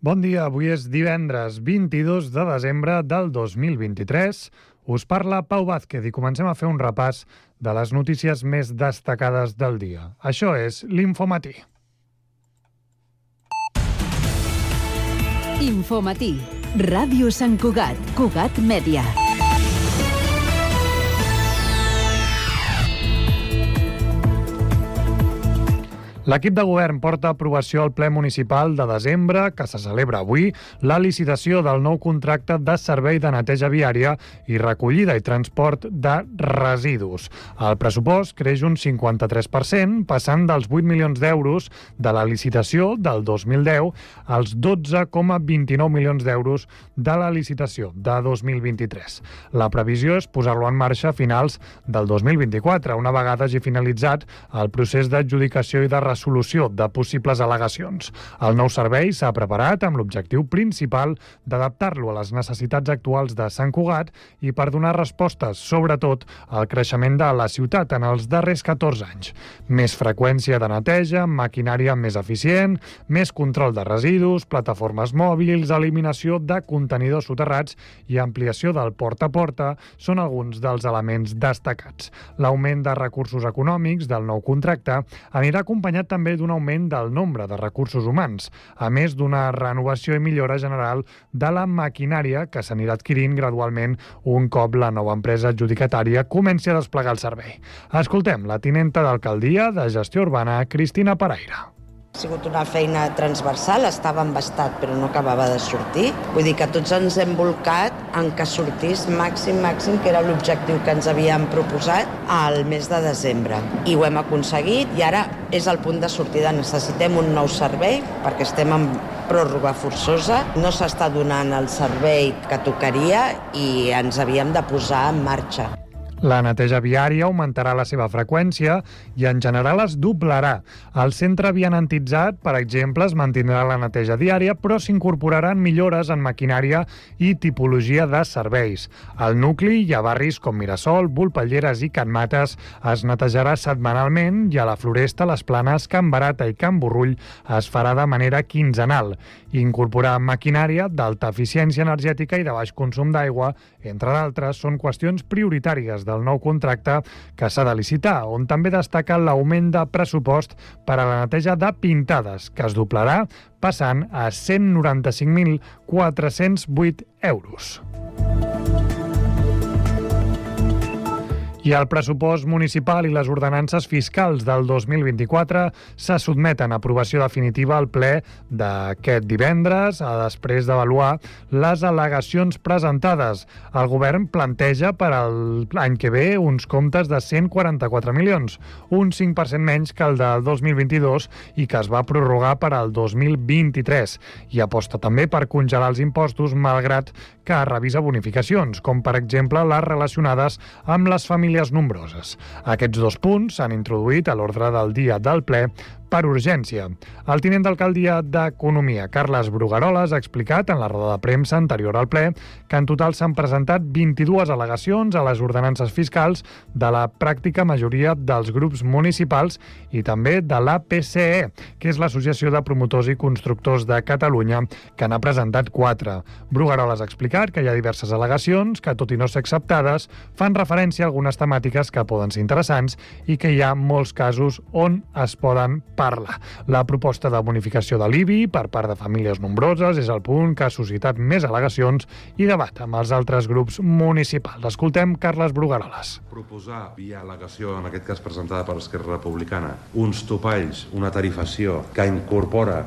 Bon dia, avui és divendres 22 de desembre del 2023. Us parla Pau Vázquez i comencem a fer un repàs de les notícies més destacades del dia. Això és l'Infomatí. Infomatí, Ràdio Sant Cugat, Cugat Mèdia. L'equip de govern porta a aprovació al ple municipal de desembre, que se celebra avui, la licitació del nou contracte de servei de neteja viària i recollida i transport de residus. El pressupost creix un 53%, passant dels 8 milions d'euros de la licitació del 2010 als 12,29 milions d'euros de la licitació de 2023. La previsió és posar-lo en marxa a finals del 2024, una vegada hagi finalitzat el procés d'adjudicació i de resolució de possibles al·legacions. El nou servei s'ha preparat amb l'objectiu principal d'adaptar-lo a les necessitats actuals de Sant Cugat i per donar respostes, sobretot, al creixement de la ciutat en els darrers 14 anys. Més freqüència de neteja, maquinària més eficient, més control de residus, plataformes mòbils, eliminació de contenidors soterrats i ampliació del porta a porta són alguns dels elements destacats. L'augment de recursos econòmics del nou contracte anirà acompanyat també d'un augment del nombre de recursos humans, a més d'una renovació i millora general de la maquinària que s'anirà adquirint gradualment un cop la nova empresa adjudicatària comenci a desplegar el servei. Escoltem la tinenta d'alcaldia de Gestió Urbana, Cristina Paraire. Ha sigut una feina transversal, estava embastat però no acabava de sortir. Vull dir que tots ens hem volcat en que sortís màxim, que era l'objectiu que ens havíem proposat al mes de desembre. I ho hem aconseguit i ara és el punt de sortida. Necessitem un nou servei perquè estem en pròrroga forçosa. No s'està donant el servei que tocaria i ens havíem de posar en marxa. La neteja viària augmentarà la seva freqüència i en general es doblarà. El centre vianantitzat, per exemple, es mantindrà la neteja diària, però s'incorporaran millores en maquinària i tipologia de serveis. Al nucli hi ha barris com Mirasol, Volpelleres i Can Mates es netejarà setmanalment i a la Floresta, les Planes, Can Barata i Can Borrull es farà de manera quinzenal. Incorporar maquinària d'alta eficiència energètica i de baix consum d'aigua, entre d'altres, són qüestions prioritàries del nou contracte que s'ha de licitar, on també destaca l'augment de pressupost per a la neteja de pintades, que es doblarà passant a 195.408 euros. I el pressupost municipal i les ordenances fiscals del 2024 se sotmeten a aprovació definitiva al ple d'aquest divendres, després d'avaluar les al·legacions presentades. El govern planteja per a l'any que ve uns comptes de 144 milions, un 5% menys que el del 2022 i que es va prorrogar per al 2023. I aposta també per congelar els impostos, malgrat que revisa bonificacions, com per exemple les relacionades amb les famílies nombroses. Aquests dos punts s'han introduït a l'ordre del dia del ple per urgència. El tinent d'alcaldia d'Economia, Carles Brugaroles, ha explicat en la roda de premsa anterior al ple que en total s'han presentat 22 al·legacions a les ordenances fiscals de la pràctica majoria dels grups municipals i també de l'APCE, que és l'Associació de Promotors i Constructors de Catalunya, que n'ha presentat 4. Brugaroles ha explicat que hi ha diverses al·legacions que, tot i no ser acceptades, fan referència a algunes temàtiques que poden ser interessants i que hi ha molts casos on es poden parlar. La proposta de bonificació de l'IBI per part de famílies nombroses és el punt que ha suscitat més al·legacions i debat amb els altres grups municipals. Escoltem Carles Brugaroles. Proposar, via al·legació, en aquest cas presentada per Esquerra Republicana, uns topalls, una tarifació que incorpora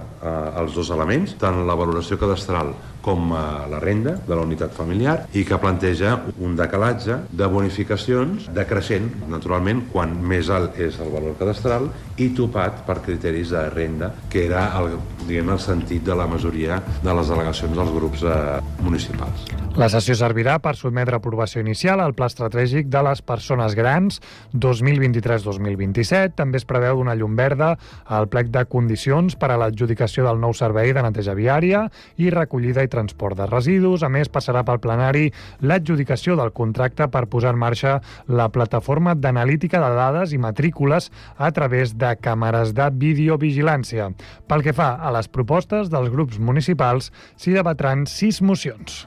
els dos elements, tant la valoració cadastral com la renda de la unitat familiar, i que planteja un decalatge de bonificacions decreixent, naturalment, quan més alt és el valor cadastral i topat per criteris de renda, que era el sentit de la majoria de les al·legacions dels grups municipals. La sessió servirà per sotmetre a aprovació inicial al Pla Estratègic de les Persones Grans 2023-2027. També es preveu donar llum verda al plec de condicions per a l'adjudicació del nou servei de neteja viària i recollida i transport de residus. A més, passarà pel plenari l'adjudicació del contracte per posar en marxa la plataforma d'analítica de dades i matrícules a través de càmeres de videovigilància. Pel que fa a les propostes dels grups municipals, s'hi debatran 6 mocions.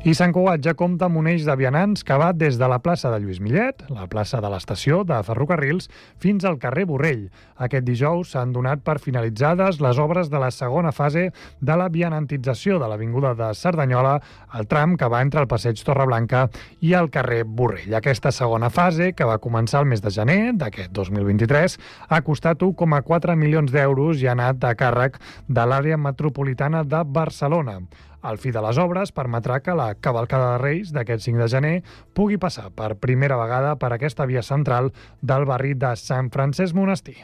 I Sant Cugat ja compta amb un eix de vianants que va des de la plaça de Lluís Millet, la plaça de l'estació de Ferrocarrils, fins al carrer Borrell. Aquest dijous s'han donat per finalitzades les obres de la segona fase de la vianantització de l'avinguda de Cerdanyola, el tram que va entre el passeig Torreblanca i el carrer Borrell. Aquesta segona fase, que va començar el mes de gener d'aquest 2023, ha costat 1,4 milions d'euros i ha anat a càrrec de l'àrea metropolitana de Barcelona. El fi de les obres permetrà que la cavalcada de Reis d'aquest 5 de gener pugui passar per primera vegada per aquesta via central del barri de Sant Francesc Monestir.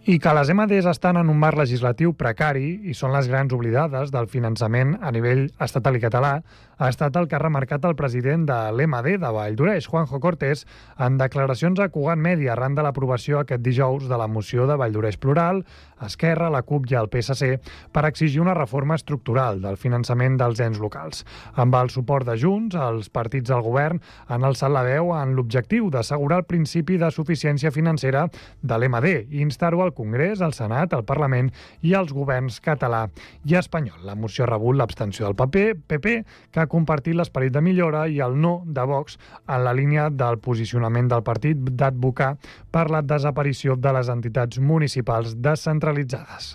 I que les MDs estan en un marc legislatiu precari i són les grans oblidades del finançament a nivell estatal i català ha estat el que ha remarcat el president de l'MD de Valldoreix, Juanjo Cortés, en declaracions a Cugat Mèdia arran de l'aprovació aquest dijous de la moció de Valldoreix Plural, Esquerra, la CUP i el PSC per exigir una reforma estructural del finançament dels ens locals. Amb el suport de Junts, els partits del govern han alçat la veu en l'objectiu d'assegurar el principi de suficiència financera de l'MD i instar-ho al Congrés, al Senat, al Parlament i als governs català i espanyol. La moció ha rebut l'abstenció del PP, que ha compartit l'esperit de millora, i el no de Vox en la línia del posicionament del partit d'advocar per la desaparició de les entitats municipals descentralitzades.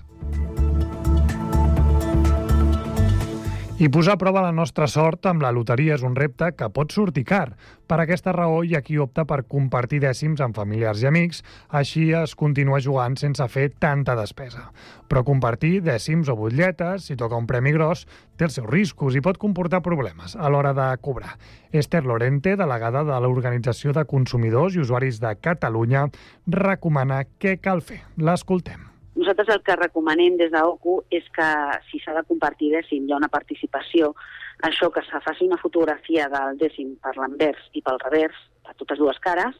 I posar a prova la nostra sort amb la loteria és un repte que pot sortir car. Per aquesta raó hi ha qui opta per compartir dècims amb familiars i amics, així es continua jugant sense fer tanta despesa. Però compartir dècims o butlletes, si toca un premi gros, té els seus riscos i pot comportar problemes a l'hora de cobrar. Esther Lorente, delegada de l'Organització de Consumidors i Usuaris de Catalunya, recomana què cal fer. L'escoltem. Nosaltres el que recomanem des d'OCU és que si s'ha de compartir dècim, hi ha una participació, això que se faci una fotografia del dècim per l'anvers i pel revers, per totes dues cares,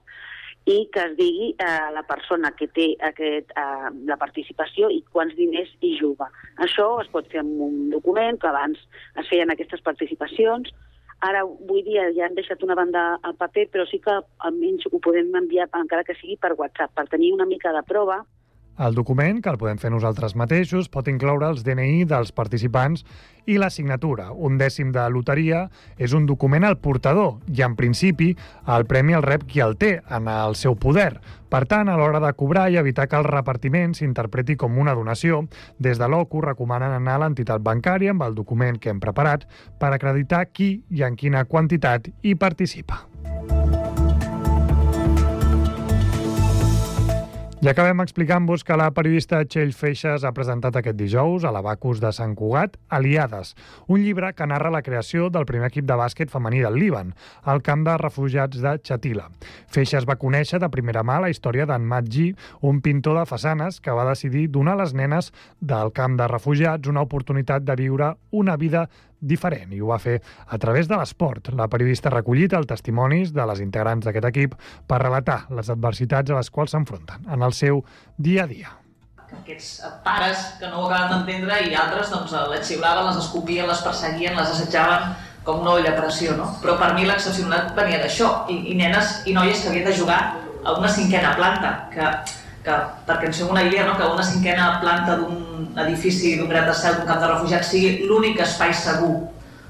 i que es digui la persona que té la participació i quants diners hi juga. Això es pot fer amb un document, que abans es feien aquestes participacions. Ara, avui dia, ja han deixat una banda al paper, però sí que almenys ho podem enviar, encara que sigui per WhatsApp, per tenir una mica de prova. El document, que el podem fer nosaltres mateixos, pot incloure els DNI dels participants i la signatura. Un dècim de loteria és un document al portador i, en principi, el premi el rep qui el té en el seu poder. Per tant, a l'hora de cobrar i evitar que el repartiment s'interpreti com una donació, des de l'OCU recomanen anar a l'entitat bancària amb el document que hem preparat per acreditar qui i en quina quantitat hi participa. I acabem explicant-vos que la periodista Txell Feixas ha presentat aquest dijous a l'Abacus de Sant Cugat Aliades, un llibre que narra la creació del primer equip de bàsquet femení del Líban, al camp de refugiats de Xatila. Feixas va conèixer de primera mà la història d'en Maggi, un pintor de façanes que va decidir donar a les nenes del camp de refugiats una oportunitat de viure una vida diferent, i ho va fer a través de l'esport. La periodista ha recollit els testimonis de les integrants d'aquest equip per relatar les adversitats a les quals s'enfronten en el seu dia a dia. Aquests pares que no ho acaben d'entendre i altres doncs, les xiulaven, les escopien, les perseguien, les assetjaven com una olla a pressió, no? Però per mi l'excepcionalitat venia d'això, i nenes i noies que havien de jugar a una cinquena planta, que perquè ens fem una idea, no? Que una cinquena planta d'un edifici, d'un gratacel, d'un camp de refugiats sigui l'únic espai segur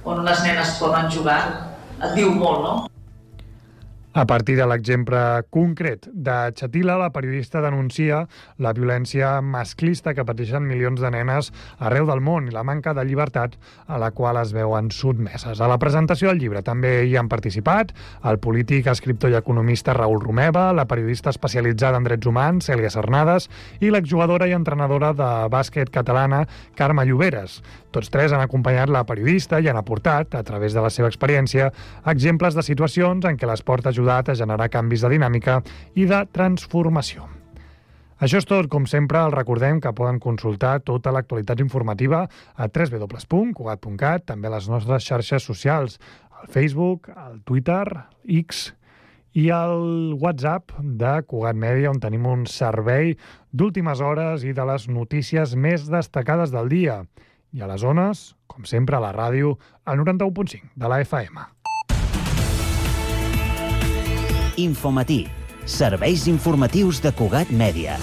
on unes nenes poden jugar, et diu molt, no? A partir de l'exemple concret de Xatila, la periodista denuncia la violència masclista que pateixen milions de nenes arreu del món i la manca de llibertat a la qual es veuen sotmeses. A la presentació del llibre també hi han participat el polític, escriptor i economista Raül Romeva, la periodista especialitzada en drets humans, Cèlia Cernades, i l'exjugadora i entrenadora de bàsquet catalana, Carme Lloberes. Tots tres han acompanyat la periodista i han aportat, a través de la seva experiència, exemples de situacions en què l'esport ha ajudat a generar canvis de dinàmica i de transformació. Això és tot. Com sempre, els recordem que poden consultar tota l'actualitat informativa a www.cugat.cat, també a les nostres xarxes socials, al Facebook, al Twitter, X i el WhatsApp de Cugat Mèdia, on tenim un servei d'últimes hores i de les notícies més destacades del dia. I a les zones, com sempre, a la ràdio, al 91.5 de la FM. Infomatí. Serveis informatius de Cugat Mèdia.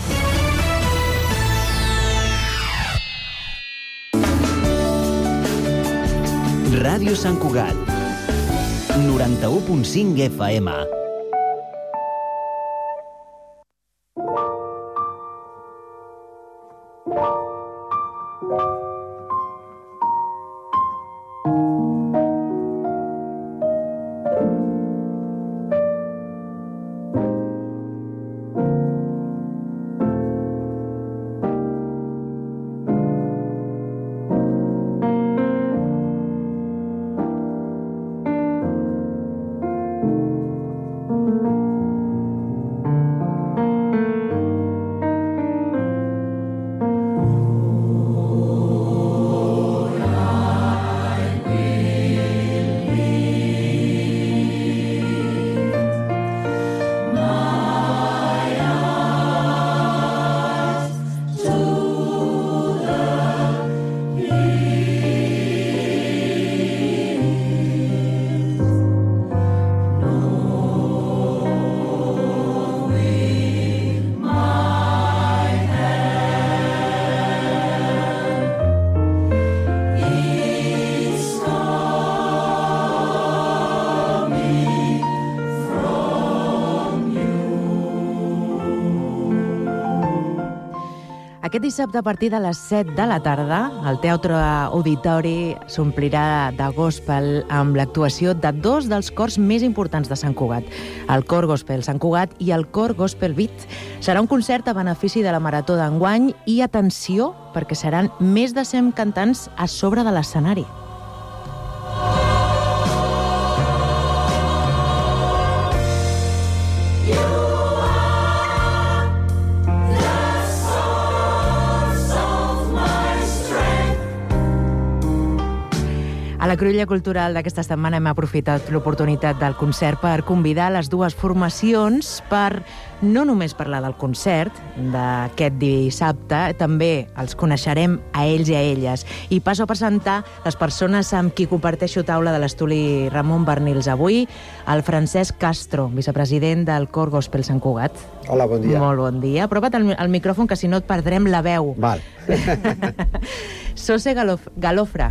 Ràdio Sant Cugat. 91.5 FM. Aquest dissabte, a partir de les 7 de la tarda, el Teatre Auditori s'omplirà de gospel amb l'actuació de dos dels cors més importants de Sant Cugat, el Cor Gospel Sant Cugat i el Cor Gospel Beat. Serà un concert a benefici de la Marató d'enguany i, atenció, perquè seran més de 100 cantants a sobre de l'escenari. A la Cruïlla Cultural d'aquesta setmana hem aprofitat l'oportunitat del concert per convidar les dues formacions per no només parlar del concert d'aquest dissabte, també els coneixerem a ells i a elles. I passo a presentar les persones amb qui comparteixo taula de l'estudi Ramon Bernils avui, el Francesc Castro, vicepresident del Cor Gospel Sant Cugat. Hola, bon dia. Molt bon dia. Apropa't al micròfon, que si no et perdrem la veu. Val. Sose Galofra.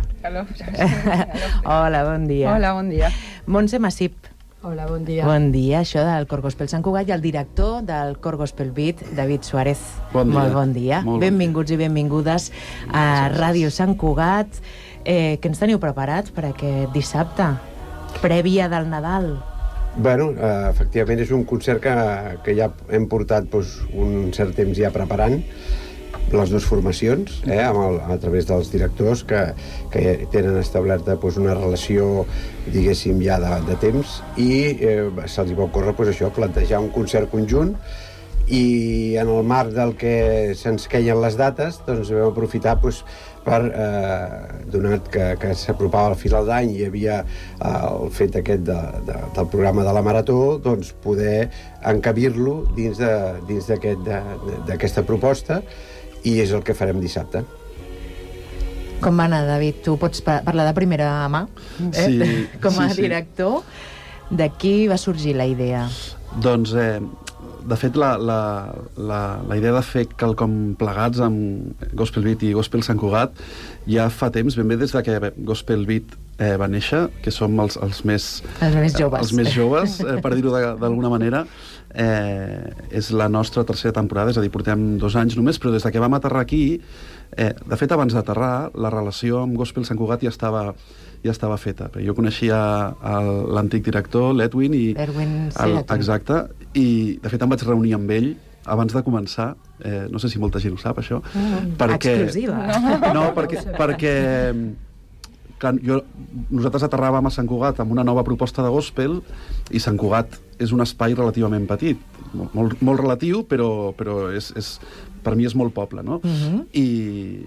Hola, bon dia. Hola, bon dia. Montse Massip. Hola, bon dia. Bon dia, això del Cor Gospel Sant Cugat i el director del Cor Gospel Beat, David Suárez. Bon dia. Molt bon dia. Molt Benvinguts i benvingudes a Ràdio Sant Cugat. Què ens teniu preparats per aquest dissabte? Prèvia del Nadal. Bueno, efectivament és un concert que ja hem portat un cert temps ja preparant, les dues formacions, a través dels directors que tenen establerta una relació, diguéssim, ja de temps, i se'ls va ocórrer això, plantejar un concert conjunt, i en el marc del que se'ns queien les dates, doncs vam aprofitar per, donat que s'apropava al final d'any i hi havia el fet aquest del programa de la Marató, doncs poder encabir-lo dins d'aquesta proposta, i és el que farem dissabte. Com va anar, David? Tu pots parlar de primera mà? Sí. Com a director, de qui va sorgir la idea? Doncs, de fet, la idea de fer quelcom plegats amb Gospel Beat i Gospel Sant Cugat ja fa temps, ben bé des de que Gospel Beat va néixer, que som els més joves. Els més joves, per dir-ho d'alguna manera. És la nostra tercera temporada, és a dir, portem 2 anys només, però des que vam aterrar aquí, de fet, abans d'aterrar, la relació amb Gospel Sant Cugat ja estava feta. Jo coneixia l'antic director, l'Edwin, exacte, i de fet em vaig reunir amb ell abans de començar, no sé si molta gent ho sap, això. Exclusiva. No, perquè nosaltres aterràvem a Sant Cugat amb una nova proposta de gospel, i Sant Cugat és un espai relativament petit, molt relatiu, però per mi és molt poble, no? I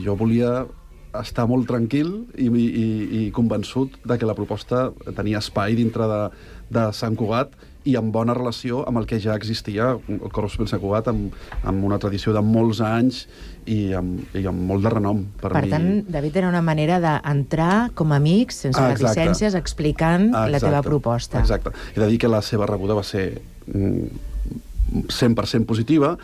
jo volia estar molt tranquil i convençut de que la proposta tenia espai dintre de Sant Cugat i amb bona relació amb el que ja existia, el Cor Gospel Sant Cugat, amb una tradició de molts anys i amb molt de renom. Per tant, David, era una manera d'entrar com a amics, sense reticències, explicant la teva proposta. Exacte. He de dir que la seva rebuda va ser 100% positiva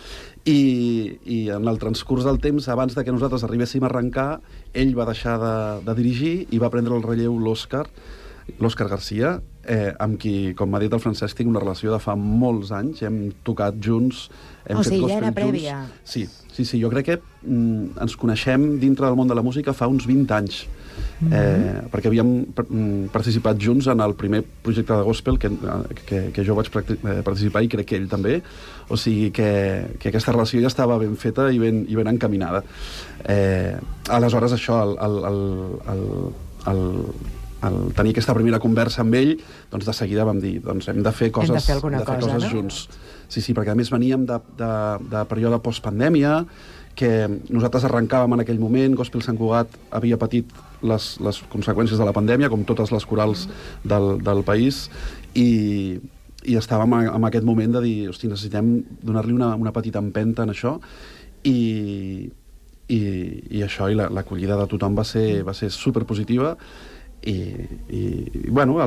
i en el transcurs del temps, abans de que nosaltres arribéssim a arrencar, ell va deixar de dirigir i va prendre el relleu l'Òscar Garcia, amb qui, com m'ha dit el Francesc, tinc una relació de fa molts anys, hem tocat junts, hem fet ja era prèvia. Sí, jo crec que ens coneixem dintre del món de la música fa uns 20 anys, perquè havíem participat junts en el primer projecte de gospel que jo vaig participar i crec que ell també, o sigui que aquesta relació ja estava ben feta i ben encaminada. Aleshores, això, al tenir aquesta primera conversa amb ell, doncs de seguida vam dir, doncs hem de fer coses junts. Sí, perquè a més veníem de període postpandèmia, que nosaltres arrencàvem en aquell moment, Gospel Sant Cugat havia patit les conseqüències de la pandèmia, com totes les corals del país, i estàvem en aquest moment de dir, hosti, necessitem donar-li una petita empenta en això, i això, i l'acollida de tothom va ser superpositiva. I bueno,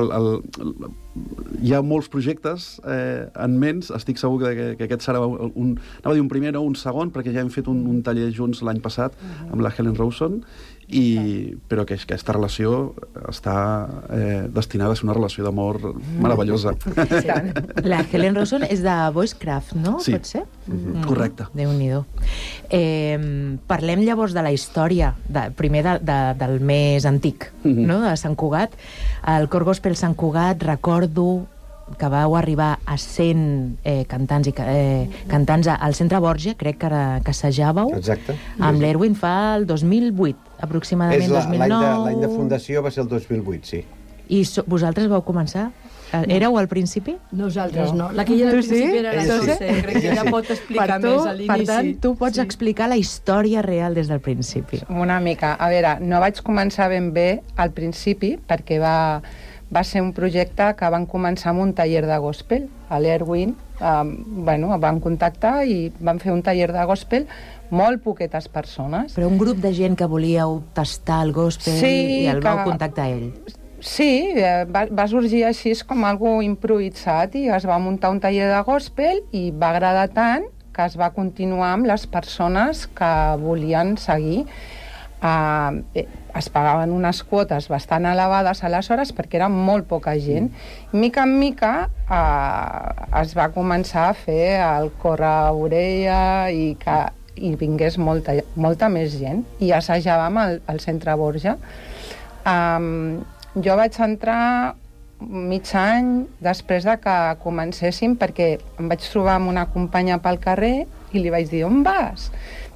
hi ha molts projectes en ments. Estic segur que aquest serà anava a dir un primer o un segon, perquè ja hem fet un taller junts l'any passat amb la Helen Rawson, però que aquesta relació està destinada a ser una relació d'amor meravellosa. La Helen Rawson és de Voicecraft, no? Sí. Pot ser? Correcte. Déu-n'hi-do. Parlem llavors de la història, primer del més antic, no? De Sant Cugat. El Cor Gospel Sant Cugat, recordo que vau arribar a 100 cantants al Centre Borja, crec que assajàveu. Exacte. Amb l'Erwin fa el 2008, aproximadament 2009. L'any de fundació va ser el 2008, sí. I vosaltres vau començar? Éreu al principi? Nosaltres no. La que hi era al principi era la José. Crec que ella pot explicar més a l'inici. Per tant, tu pots explicar la història real des del principi. Una mica. A veure, no vaig començar ben bé al principi, perquè va ser un projecte que van començar amb un taller de gospel. A l'Erwin van contactar i van fer un taller de gospel, molt poquetes persones. Però un grup de gent que volíeu tastar el gospel i el vau contactar ell. Sí, va sorgir així com algo improvisat i es va muntar un taller de gospel i va agradar tant que es va continuar amb les persones que volien seguir. Es pagaven unes quotes bastant elevades aleshores perquè era molt poca gent. Mica en mica es va començar a fer el corre-orella i vingués molta més gent i assajàvem al Centre Borja. Jo vaig entrar mig any després de que comencéssim, perquè em vaig trobar amb una companya pel carrer i li vaig dir, on vas?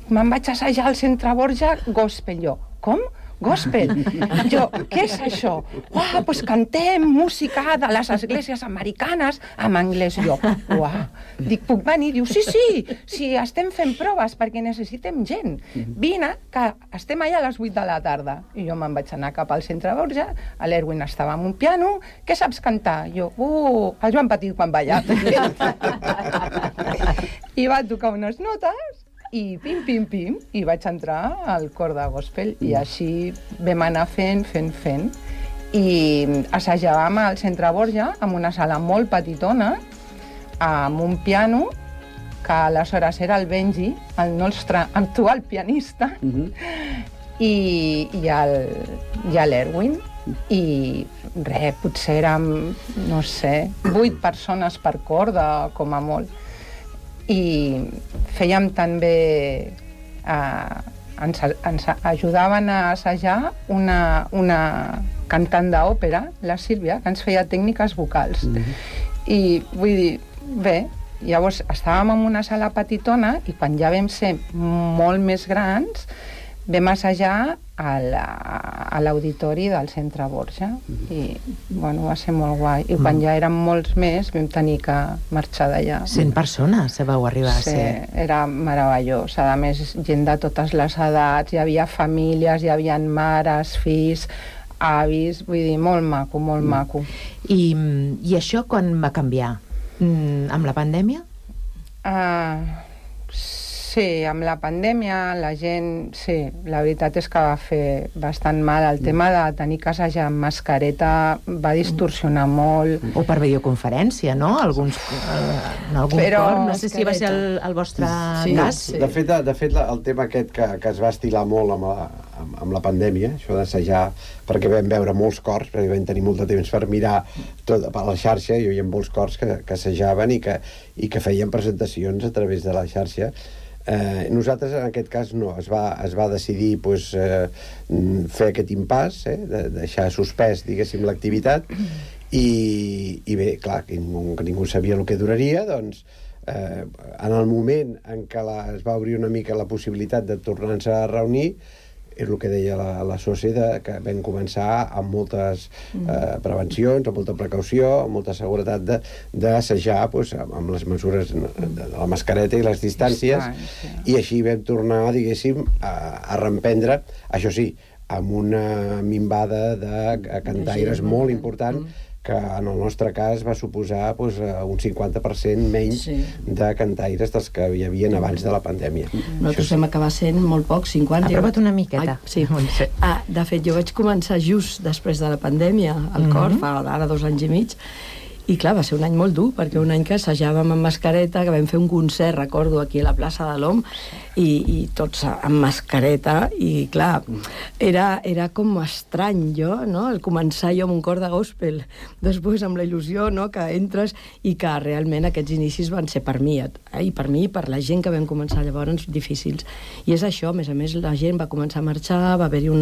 Me'n vaig assajar al Centre Borja gospel. Jo, com? Gospel? Jo, què és això? Doncs cantem música de les esglésies americanes en anglès. Jo, dic, puc venir? Diu, sí, estem fent proves perquè necessitem gent. Vine, que estem allà a les 8 de la tarda. I jo me'n vaig anar cap al Centre Borja, a l'Erwin estava amb un piano. Què saps cantar? Jo, el Joan Petit quan balla. I va tocar unes notes i pim, i vaig entrar al cor de gospel i així vam anar fent. I assajàvem al Centre Borja amb una sala molt petitona, amb un piano, que aleshores era el Benji, el nostre actual pianista, i l'Erwin. I res, potser érem, no sé, 8 persones per corda, com a molt. I fèiem també ens ajudaven a assajar una cantant d'òpera, la Sílvia, que ens feia tècniques vocals. I vull dir, bé, llavors estàvem en una sala petitona i quan ja vam ser molt més grans vam assajar a l'auditori del Centre Borja i bueno, va ser molt guai i quan ja érem molts més vam tenir que marxar d'allà. 100 persones vau arribar a ser. Sí, era meravellós. A més, gent de totes les edats, hi havia famílies, hi havia mares, fills, avis, vull dir, molt maco, molt maco. I això quan va canviar? Amb la pandèmia? Sí, amb la pandèmia la gent... Sí, la veritat és que va fer bastant mal. El tema de tenir que assajar amb mascareta va distorsionar molt. O per videoconferència, no? En algun cor. No sé si va ser el vostre cas. De fet, el tema aquest que es va estilar molt amb la pandèmia, això d'assajar, perquè vam veure molts cors, perquè vam tenir molt de temps per mirar tot a la xarxa, hi havia molts cors que assajaven i que feien presentacions a través de la xarxa. Nosaltres en aquest cas no, es va decidir fer aquest impàs, de deixar suspès, diguéssim, l'activitat, i bé, clar, que ningú sabia el que duraria, doncs en el moment en què es va obrir una mica la possibilitat de tornar-nos a reunir, és el que deia la Soci, que vam començar amb moltes prevencions, amb molta precaució, amb molta seguretat d'assajar amb les mesures de la mascareta i les distàncies, i així vam tornar, diguéssim, a reemprendre, això sí, amb una minvada de cantaires molt important, que en el nostre cas va suposar un 50% menys de cantaires dels que hi havia abans de la pandèmia. Nosaltres vam acabar sent molt pocs, 50. Aprova't una miqueta. Sí. De fet, jo vaig començar just després de la pandèmia al cor, fa ara 2 anys i mig, i clar, va ser un any molt dur, perquè un any que assajàvem amb mascareta, que vam fer un concert, recordo, aquí a la plaça de l'Om, i tots amb mascareta, i clar, era com estrany jo, no?, el començar jo amb un cor de gospel, després amb la il·lusió, no?, que entres, i que realment aquests inicis van ser per mi, i per mi i per la gent que vam començar llavors difícils. I és això, a més, la gent va començar a marxar, va haver-hi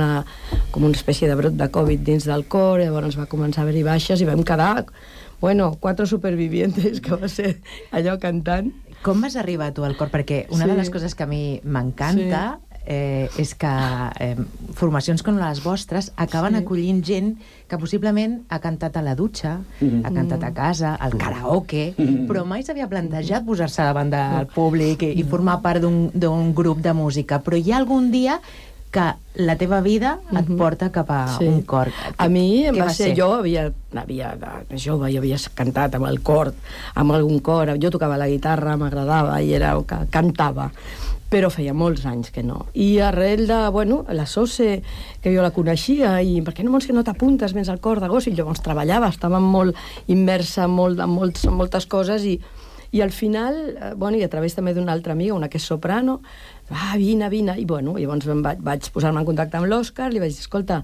com una espècie de brot de Covid dins del cor, llavors va començar a haver-hi baixes, i vam quedar 4 supervivientes, que va ser allò cantant. Com vas arribar tu al cor? Perquè una de les coses que a mi m'encanta és que formacions com les vostres acaben acollint gent que possiblement ha cantat a la dutxa, ha cantat a casa, al karaoke, però mai s'havia plantejat posar-se davant del públic i formar part d'un grup de música. Però hi ha algun dia que la teva vida et porta cap a un cor. A mi em va ser... Jo de jove i havia cantat amb el cor, amb algun cor. Jo tocava la guitarra, m'agradava i era el que cantava, però feia molts anys que no. I arrel de, la Soce, que jo la coneixia, i per què no t'apuntes més al cor de Gospel? Llavors treballava, estava molt immersa en moltes coses, i al final, i a través també d'una altra amiga, una que és soprano, vine, i llavors vaig posar-me en contacte amb l'Òscar, li vaig dir, escolta,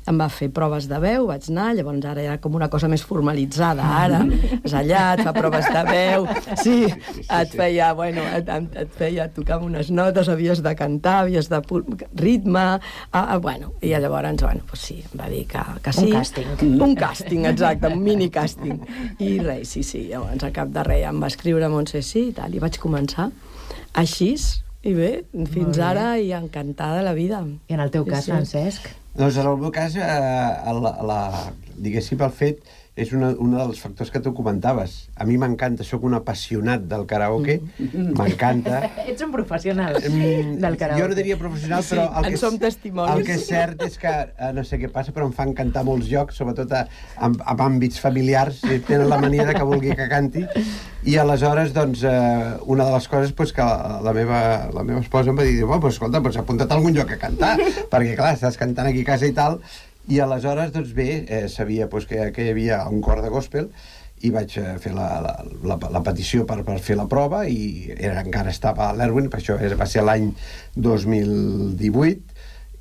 em va fer proves de veu, vaig anar, llavors ara era com una cosa més formalitzada, ara, és allà, et fa proves de veu, et feia tocar unes notes, havies de cantar, havies de ritme, i llavors, em va dir que sí. Un càsting. Un càsting, exacte, un mini càsting. I res, sí, llavors al cap de res em va escriure Montse sí i tal, i vaig començar així. I bé, fins ara, i encantada la vida. I en el teu cas, Francesc? Doncs en el meu cas, diguéssim, el fet és un dels factors que tu comentaves. A mi m'encanta, soc un apassionat del karaoke, m'encanta. Ets un professional del karaoke. Jo no diria professional, però en som testimonis. El que és cert és que, no sé què passa, però em fan cantar molts llocs, sobretot en àmbits familiars, tenen la mania que vulgui que canti, i aleshores, doncs, una de les coses que la meva esposa em va dir, escolta, apunta't a algun lloc a cantar, perquè, clar, estàs cantant aquí a casa i tal, i aleshores, doncs bé, sabia que hi havia un cor de gospel i vaig fer la petició per fer la prova, i encara estava a l'Erwin, per això va ser l'any 2018,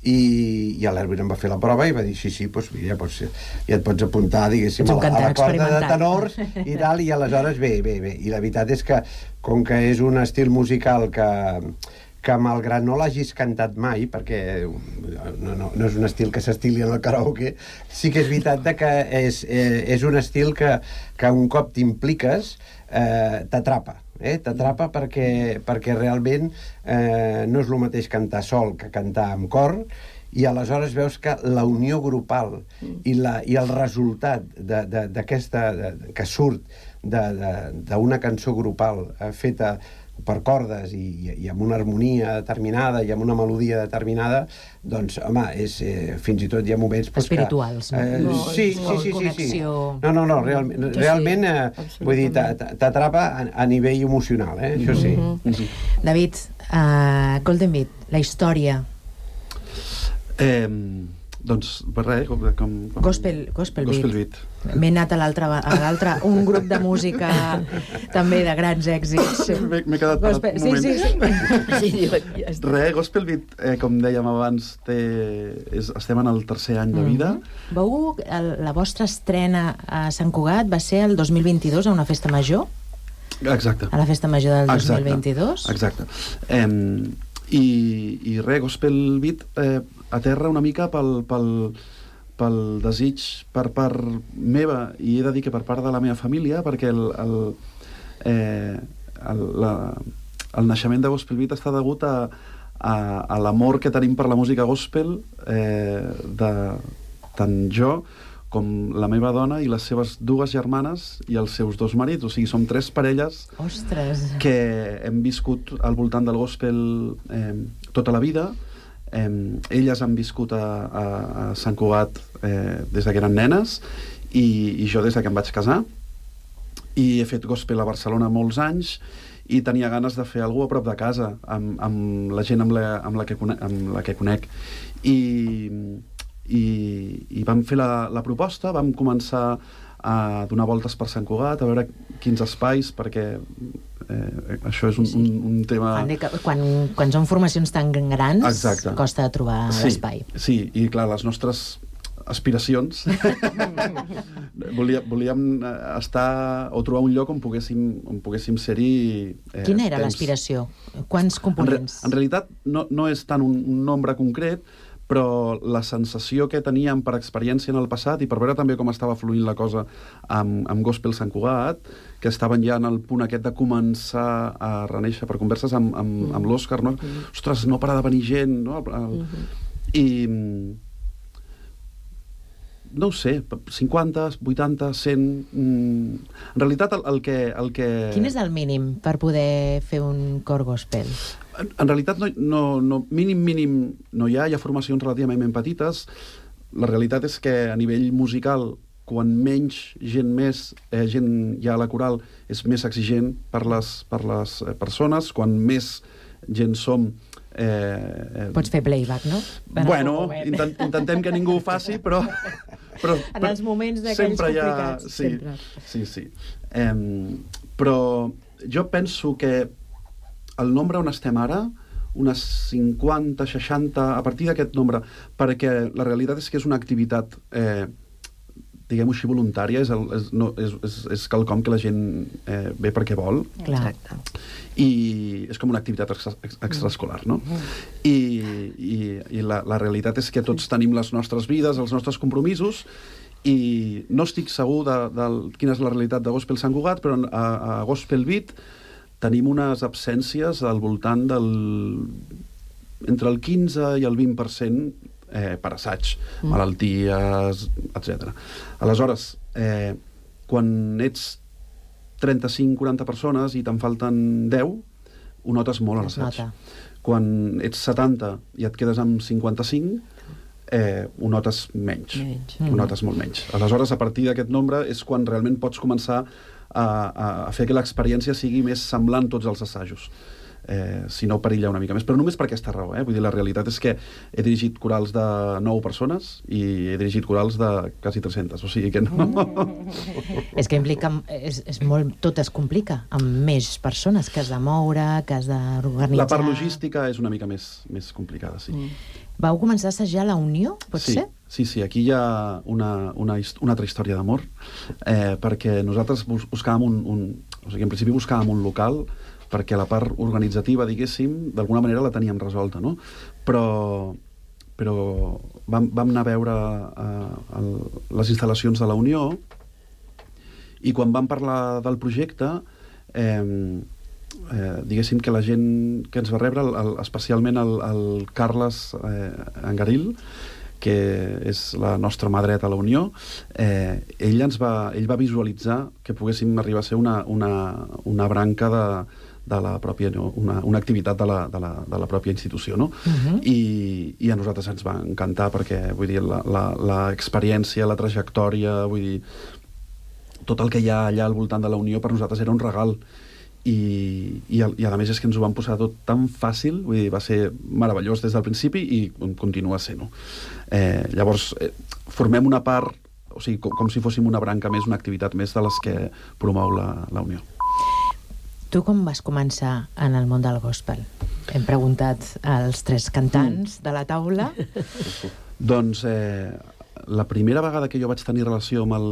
i l'Erwin em va fer la prova i va dir, sí, ja et pots apuntar, diguéssim, a la corda de tenors i tal, i aleshores bé, i la veritat és que, com que és un estil musical que malgrat no l'hagis cantat mai, perquè no és un estil que s'estili en el karaoke, sí que és veritat que és un estil que un cop t'impliques t'atrapa. T'atrapa perquè realment no és el mateix cantar sol que cantar amb cor, i aleshores veus que la unió grupal i el resultat d'aquesta que surt d'una cançó grupal feta per cordes i amb una harmonia determinada i amb una melodia determinada, doncs, home, fins i tot hi ha moments... Espirituals, no? Sí. No, realment vull dir, t'atrapa a nivell emocional, això sí. David, Golden Beat, la història... Doncs, per res, Gospel Beat. M'he anat a l'altre, un grup de música també de grans èxits. M'he quedat parat un moment. Res, Gospel Beat, com dèiem abans, estem en el tercer any de vida. La vostra estrena a Sant Cugat va ser el 2022 a una festa major? Exacte. A la festa major del 2022? Exacte. I res, Gospel Beat aterra una mica pel desig per part meva, i he de dir que per part de la meva família, perquè el naixement de Gospel Beat està degut a l'amor que tenim per la música gospel, de tant jo com la meva dona i les seves dues germanes i els seus dos marits. O sigui, som 3 parelles que hem viscut al voltant del gospel tota la vida. Elles han viscut a Sant Cugat des que eren nenes i jo des que em vaig casar, i he fet gospel a Barcelona molts anys i tenia ganes de fer alguna cosa a prop de casa amb la gent amb la que conec, i vam fer la proposta, vam començar a donar voltes per Sant Cugat, a veure quins espais, perquè això és un tema... Quan són formacions tan grans, exacte, costa trobar l'espai. Sí, i clar, les nostres aspiracions volíem estar o trobar un lloc on poguéssim ser-hi Quina era l'aspiració? Quants components? En realitat no és tant un nombre concret, però la sensació que teníem per experiència en el passat i per veure també com estava fluint la cosa amb Gospel Sant Cugat, que estaven ja en el punt aquest de començar a renéixer per converses amb l'Òscar, no? Ostres, no para de venir gent, no? I no ho sé, 50, 80, 100... En realitat el que... Quin és el mínim per poder fer un cor gospel? En realitat mínim no hi ha formacions relativament petites. La realitat és que a nivell musical, quan menys gent hi ha a la coral, és més exigent per les persones. Quan més gent som... Pots fer playback, no? Bueno, intentem que ningú ho faci, però en els moments d'aquells complicats. Sí. Però jo penso que el nombre on estem ara, unes 50, 60, a partir d'aquest nombre, perquè la realitat és que és una activitat, diguem-ho així, voluntària, és quelcom que la gent ve perquè vol. Exacte. I és com una activitat extraescolar, no? I la realitat és que tots tenim les nostres vides, els nostres compromisos, i no estic segur de quina és la realitat de Gospel Sant Cugat, però a Gospel Beat tenim unes absències al voltant entre el 15 i el 20% per assaig, malalties, etc. Aleshores, quan ets 35-40 persones i te'n falten 10, ho notes molt a l'assaig. Quan ets 70 i et quedes amb 55, ho notes menys. Ho notes molt menys. Aleshores, a partir d'aquest nombre és quan realment pots començar a fer que l'experiència sigui més semblant tots els assajos. Si no, perilla una mica més. Però només per aquesta raó. Vull dir, la realitat és que he dirigit corals de 9 persones i he dirigit corals de quasi 300. O sigui que no... És que implica... tot es complica amb més persones que has de moure, que has d'organitzar... La part logística és una mica més complicada, sí. Vau començar a assajar la Unió, pot ser? Sí, aquí hi ha una altra història d'amor, perquè nosaltres buscàvem o sigui, en principi buscàvem un local perquè la part organitzativa, diguéssim, d'alguna manera la teníem resolta, no? Però vam anar a veure les instal·lacions de la Unió i quan vam parlar del projecte, diguéssim que la gent que ens va rebre, especialment el Carles Angaril, que és la nostra mà dreta a la Unió, ell va visualitzar que poguéssim arribar a ser una branca la pròpia, una activitat de la pròpia institució, no? I a nosaltres ens va encantar perquè, vull dir, l'experiència, la trajectòria, vull dir, tot el que hi ha allà al voltant de la Unió per nosaltres era un regal i a més és que ens ho van posar tot tan fàcil, vull dir, va ser meravellós des del principi i continua sent-ho. Llavors, formem una part, o sigui, com si fóssim una branca més, una activitat més de les que promou la Unió. Tu com vas començar en el món del gospel? Hem preguntat als 3 cantants de la taula. Doncs la primera vegada que jo vaig tenir relació amb el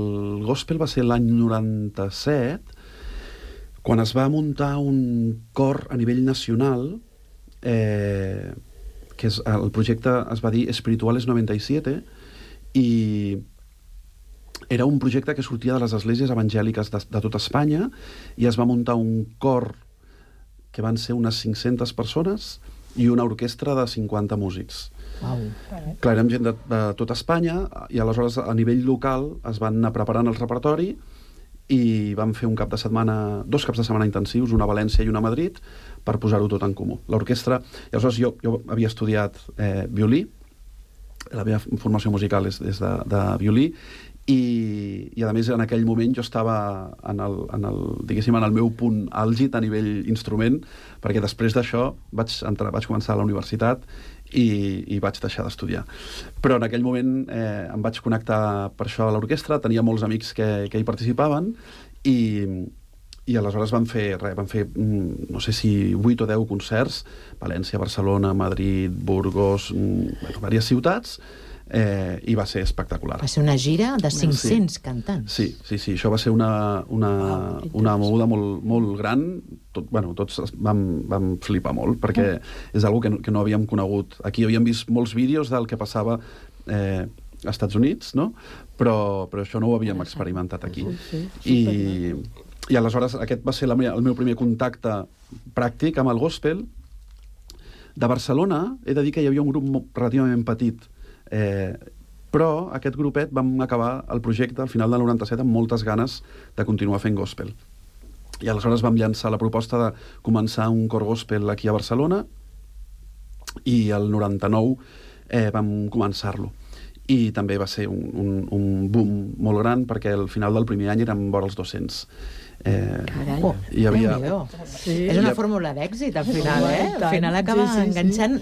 gospel va ser l'any 97, quan es va muntar un cor a nivell nacional, que el projecte es va dir Espirituales 97, i era un projecte que sortia de les esglésies evangèliques de tota Espanya, i es va muntar un cor que van ser unes 500 persones i una orquestra de 50 músics. Clar, érem gent de tota Espanya, i aleshores a nivell local es van anar preparant el repertori i vam fer 2 caps de setmana intensius, una a València i una a Madrid, per posar-ho tot en comú. L'orquestra... Aleshores jo havia estudiat violí, la meva formació musical és de violí, i a més en aquell moment jo estava en el meu punt àlgid a nivell instrument, perquè després d'això vaig començar a la universitat i vaig deixar d'estudiar. Però en aquell moment em vaig connectar per això a l'orquestra, tenia molts amics que hi participaven i aleshores vam fer no sé si 8 o 10 concerts, València, Barcelona, Madrid, Burgos, diverses ciutats, i va ser espectacular. Va ser una gira de 500 cantants. Sí, això va ser una moguda molt gran. Tots vam flipar molt, perquè és una cosa que no havíem conegut. Aquí havíem vist molts vídeos del que passava als Estats Units, no? Però això no ho havíem experimentat aquí. I aleshores aquest va ser el meu primer contacte pràctic amb el gospel. De Barcelona he de dir que hi havia un grup relativament petit, però aquest grupet vam acabar el projecte al final del 97 amb moltes ganes de continuar fent gospel. I aleshores vam llançar la proposta de començar un cor gospel aquí a Barcelona i el 99 vam començar-lo. I també va ser un boom molt gran, perquè al final del primer any érem vora els 200. Hi havia... És una fórmula d'èxit, al final, Al final acaba enganxant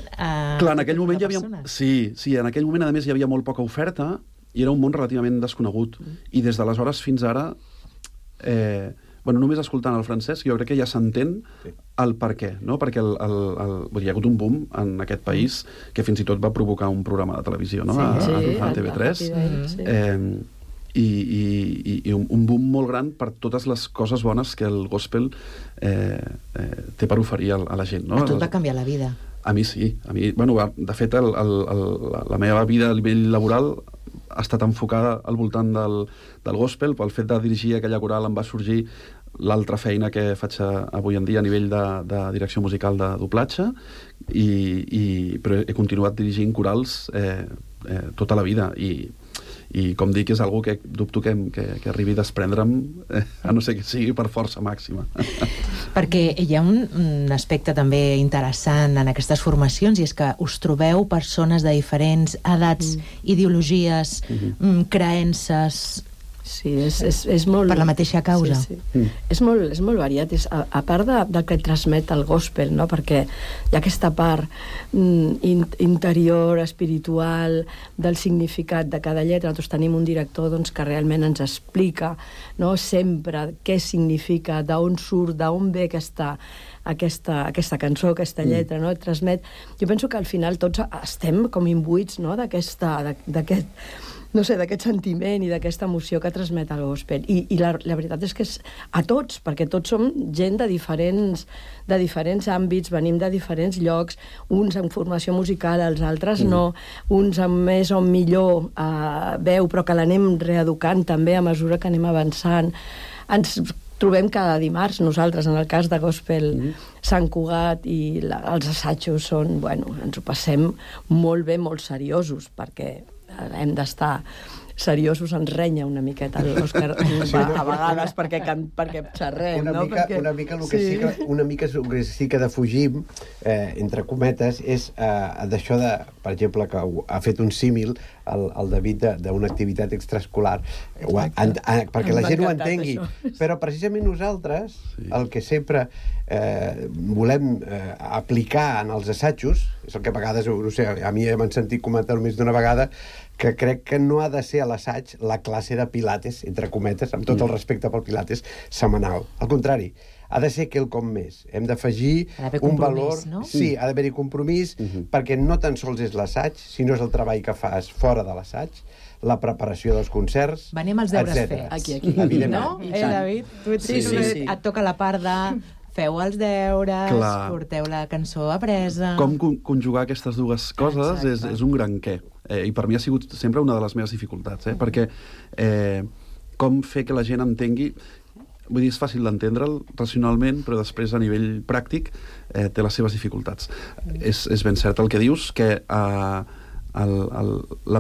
Clar, en aquell moment hi havia... Sí, en aquell moment, a més, hi havia molt poca oferta i era un món relativament desconegut. I des d'aleshores fins ara, només escoltant el Francesc, jo crec que ja s'entén el per què, no? Perquè hi ha hagut un boom en aquest país que fins i tot va provocar un programa de televisió, no? A TV3. I un boom molt gran per totes les coses bones que el gospel té per oferir a la gent, no? A tu et va canviar la vida. A mi sí. De fet, la meva vida a nivell laboral ha estat enfocada al voltant del gospel. Pel fet de dirigir aquella coral em va sorgir l'altra feina que faig avui en dia a nivell de direcció musical de doblatge, però he continuat dirigint corals tota la vida, i com dic, és algo que dubto que arribi a desprendre'm, a no ser que sigui per força màxima. Perquè hi ha un aspecte també interessant en aquestes formacions, i és que us trobeu persones de diferents edats, ideologies, creences... Sí, és molt... Per la mateixa causa. És molt variat. A part del que transmet el gospel, no? Perquè hi ha aquesta part interior, espiritual, del significat de cada lletra. Nosaltres tenim un director que realment ens explica sempre què significa, d'on surt, d'on ve aquesta cançó, aquesta lletra, no? Transmet... Jo penso que al final tots estem com imbuïts d'aquest sentiment i d'aquesta emoció que transmet el gospel. I la veritat és que és a tots, perquè tots som gent de diferents àmbits, venim de diferents llocs, uns amb formació musical, els altres no, uns amb més o millor veu, però que l'anem reeducant també a mesura que anem avançant. Ens trobem cada dimarts, nosaltres, en el cas de Gospel Sant Cugat, i els assajos ens ho passem molt bé, molt seriosos, perquè hem d'estar seriosos ens renya una miqueta l'Òscar a vegades perquè xerrem, una no? mica el que sí que defugim, entre cometes, és d'això de, per exemple, que ha fet un símil el David d'una activitat extraescolar, perquè la gent ho entengui. Però precisament nosaltres, el que sempre volem aplicar en els assajos, és el que a vegades, no sé, a mi m'han sentit comentar més d'una vegada, que crec que no ha de ser a l'assaig la classe de pilates, entre cometes, amb tot el respecte pel pilates, setmanal. Al contrari, ha de ser quelcom més. Hem d'afegir un valor... No? Sí, ha d'haver-hi compromís, perquè no tan sols és l'assaig, sinó és el treball que fas fora de l'assaig, la preparació dels concerts, venim els deures fets. Aquí. No? David? Tu et toca la part de... Feu els deures, porteu la cançó apresa... Com conjugar aquestes dues coses és un gran què. I per mi ha sigut sempre una de les meves dificultats, perquè com fer que la gent entengui... Vull dir, és fàcil d'entendre'l racionalment, però després, a nivell pràctic, té les seves dificultats. És ben cert el que dius, que la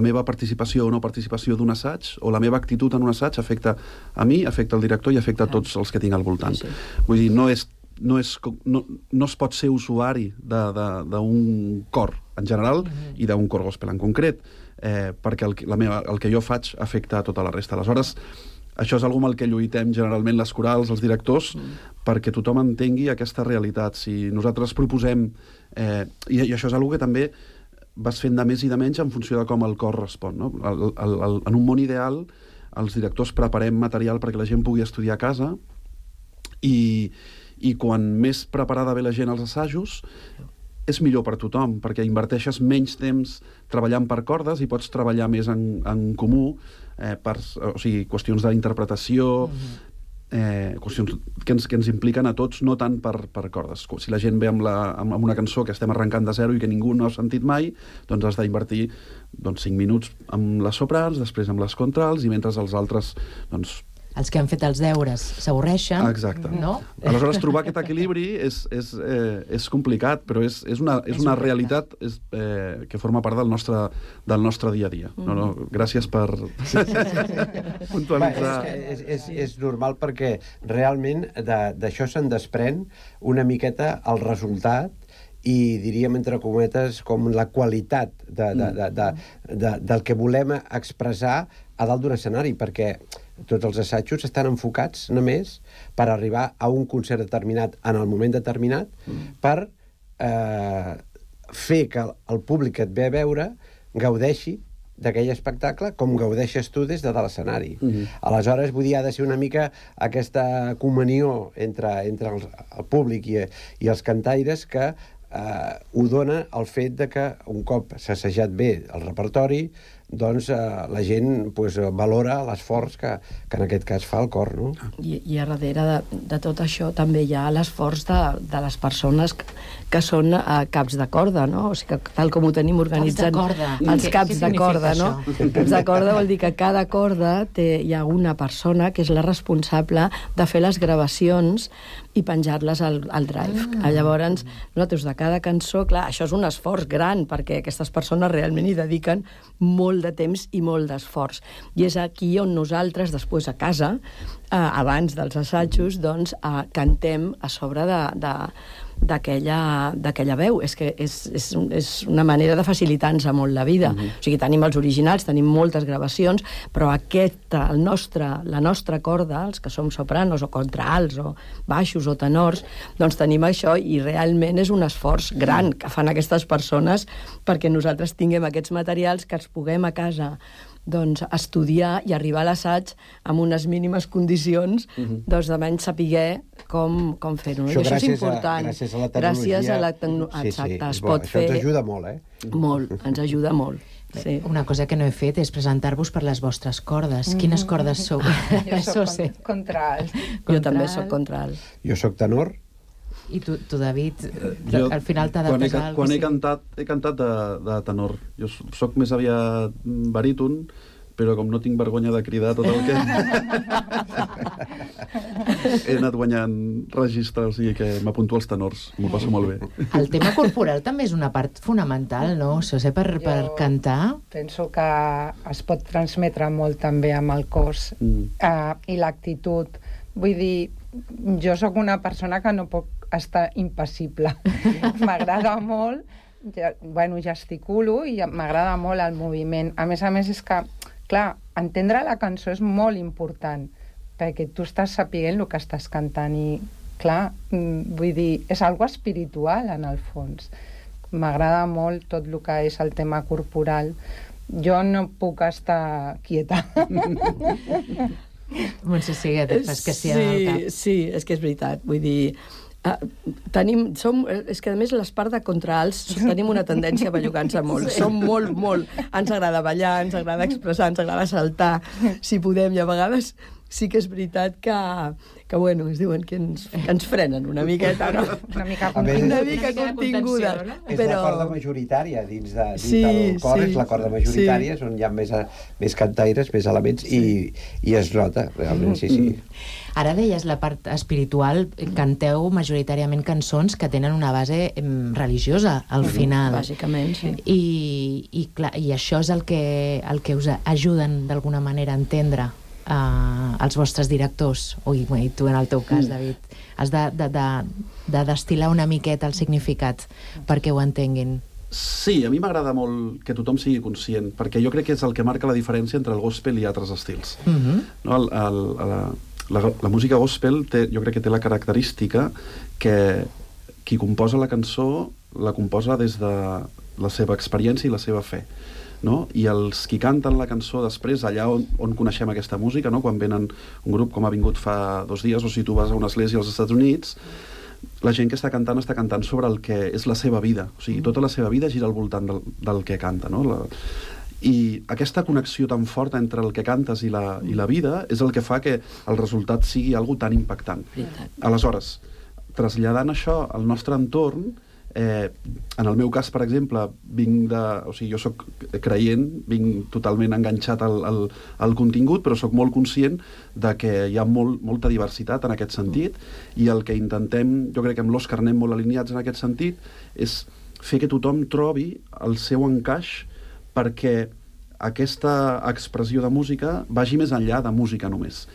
meva participació o no participació d'un assaig, o la meva actitud en un assaig, afecta a mi, afecta al director i afecta a tots els que tinc al voltant. Vull dir, no es pot ser usuari d'un cor en general i d'un cor gospel en concret, perquè el que jo faig afecta a tota la resta. Aleshores, això és alguna amb el que lluitem generalment les corals, els directors, perquè tothom entengui aquesta realitat. Si nosaltres proposem... I això és alguna que també vas fent de més i de menys en funció de com el cor respon. No? En un món ideal, els directors preparem material perquè la gent pugui estudiar a casa i quan més preparada ve la gent als assajos, és millor per tothom, perquè inverteixes menys temps treballant per cordes i pots treballar més en comú, o sigui, qüestions d'interpretació, qüestions que ens impliquen a tots, no tant per cordes. Si la gent ve amb una cançó que estem arrencant de zero i que ningú no ha sentit mai, doncs has d'invertir 5 minuts amb les soprans, després amb les contrals, i mentre els altres... Els que han fet els deures s'avorreixen. Exacte. No? Aleshores, trobar aquest equilibri és complicat, però és una realitat que forma part del nostre dia a dia. Gràcies per puntualitzar. És normal perquè realment d'això se'n desprèn una miqueta el resultat i diríem, entre cometes, com la qualitat del que volem expressar a dalt d'un escenari, perquè tots els assajos estan enfocats només per arribar a un concert determinat en el moment determinat, per fer que el públic que et ve a veure gaudeixi d'aquell espectacle com gaudeixes tu des de l'escenari. Aleshores, vull dir, ha de ser una mica aquesta comunió entre el públic i els cantaires que ho dona el fet de que un cop s'ha assajat bé el repertori, doncs la gent valora l'esforç que en aquest cas fa el cor, no? I a darrere de tot això també hi ha l'esforç de les persones que són caps de corda, no? O sigui, tal com ho tenim organitzat... Els caps de corda, no? Caps de corda vol dir que cada corda hi ha una persona que és la responsable de fer les gravacions i penjar-les al Drive. Llavors, nosaltres de cada cançó, clar, això és un esforç gran, perquè aquestes persones realment hi dediquen molt de temps i molt d'esforç. I és aquí on nosaltres, després a casa, abans dels assajos, doncs, cantem a sobre d'aquella veu. És que és una manera de facilitar-nos molt la vida. O sigui, tenim els originals, tenim moltes gravacions, però la nostra corda, els que som sopranos o contralts o baixos o tenors, doncs tenim això i realment és un esforç gran que fan aquestes persones perquè nosaltres tinguem aquests materials que els puguem a casa estudiar i arribar a l'assaig amb unes mínimes condicions de menys saber com fer-ho. I això és important. Gràcies a la tecnologia. Exacte, es pot fer... Això ens ajuda molt, Molt, ens ajuda molt. Sí. Una cosa que no he fet és presentar-vos per les vostres cordes. Quines cordes sou? Jo soc contralt. Jo també soc contralt. Jo soc tenor. I tu, David, al final t'ha de pesar... Quan he cantat de tenor. Jo soc més aviat baríton, però com no tinc vergonya de cridar tot el que... he anat guanyant registres, o sigui que m'apunto als tenors, m'ho passo molt bé. El tema corporal també és una part fonamental, no? Això sé per cantar. Penso que es pot transmetre molt també amb el cos i l'actitud. Vull dir, jo sóc una persona que no puc estar impassible. M'agrada molt, gesticulo i m'agrada molt el moviment. A més és que, clar, entendre la cançó és molt important, perquè tu estàs sapiguent el que estàs cantant i, clar, vull dir, és algo espiritual en el fons. M'agrada molt tot el que és el tema corporal. Jo no puc estar quieta. Montse Seguet, fas que sí al cap. Sí, és que és veritat. Vull dir, és que a més l'espart de contraalts tenim una tendència a bellugar-nos molt. Som molt. Ens agrada ballar, ens agrada expressar, ens agrada saltar, si podem, i a vegades sí que és veritat que bueno, es diuen que ens frenen una miqueta, no? Una mica continguda. És la corda majoritària dins del cor, és la corda majoritària, és on hi ha més cantaires, més elements, i es nota, realment, sí. Ara deies la part espiritual, canteu majoritàriament cançons que tenen una base religiosa, al final. Bàsicament, sí. I això és el que us ajuden d'alguna manera a entendre els vostres directors, i tu en el teu cas, David. Has de destil·lar una miqueta el significat perquè ho entenguin. Sí, a mi m'agrada molt que tothom sigui conscient, perquè jo crec que és el que marca la diferència entre el gospel i altres estils. La música gospel jo crec que té la característica que qui composa la cançó la composa des de la seva experiència i la seva fe, no? I els qui canten la cançó després, allà on coneixem aquesta música, no? Quan venen un grup com ha vingut fa 2 dies, o si tu vas a una església als Estats Units, la gent que està cantant sobre el que és la seva vida, o sigui, tota la seva vida gira al voltant del que canta, no? I aquesta connexió tan forta entre el que cantes i la vida és el que fa que el resultat sigui algo tan impactant. Aleshores, traslladant això al nostre entorn, en el meu cas, per exemple, jo soc creient, vinc totalment enganxat al contingut, però soc molt conscient de que hi ha molta diversitat en aquest sentit, i el que intentem, jo crec que amb l'Òscar anem molt alineats en aquest sentit, és fer que tothom trobi el seu encaix perquè aquesta expressió de música vagi més enllà de música només.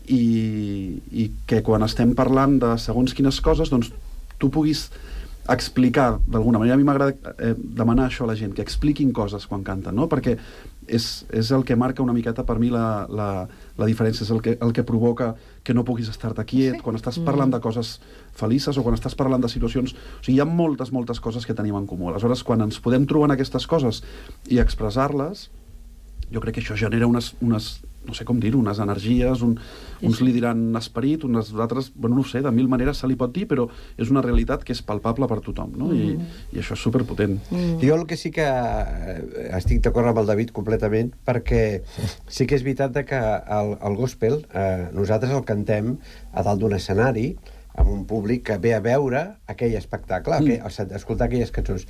I que quan estem parlant de segons quines coses, doncs tu puguis explicar d'alguna manera. A mi m'agrada demanar això a la gent, que expliquin coses quan canten, no? Perquè és el que marca una miqueta per mi la diferència, és el que provoca que no puguis estar-te quiet, quan estàs parlant de coses felices o quan estàs parlant de situacions... O sigui, hi ha moltes coses que tenim en comú. Aleshores, quan ens podem trobar en aquestes coses i expressar-les, jo crec que això genera unes no sé com dir-ho, unes energies, uns li diran esperit, unes altres, bueno, no ho sé, de mil maneres se li pot dir, però és una realitat que és palpable per tothom, no? I això és superpotent. Jo el que sí que estic d'acord amb el David completament, perquè sí que és veritat que el gospel nosaltres el cantem a dalt d'un escenari, amb un públic que ve a veure aquell espectacle, a escoltar aquelles cançons.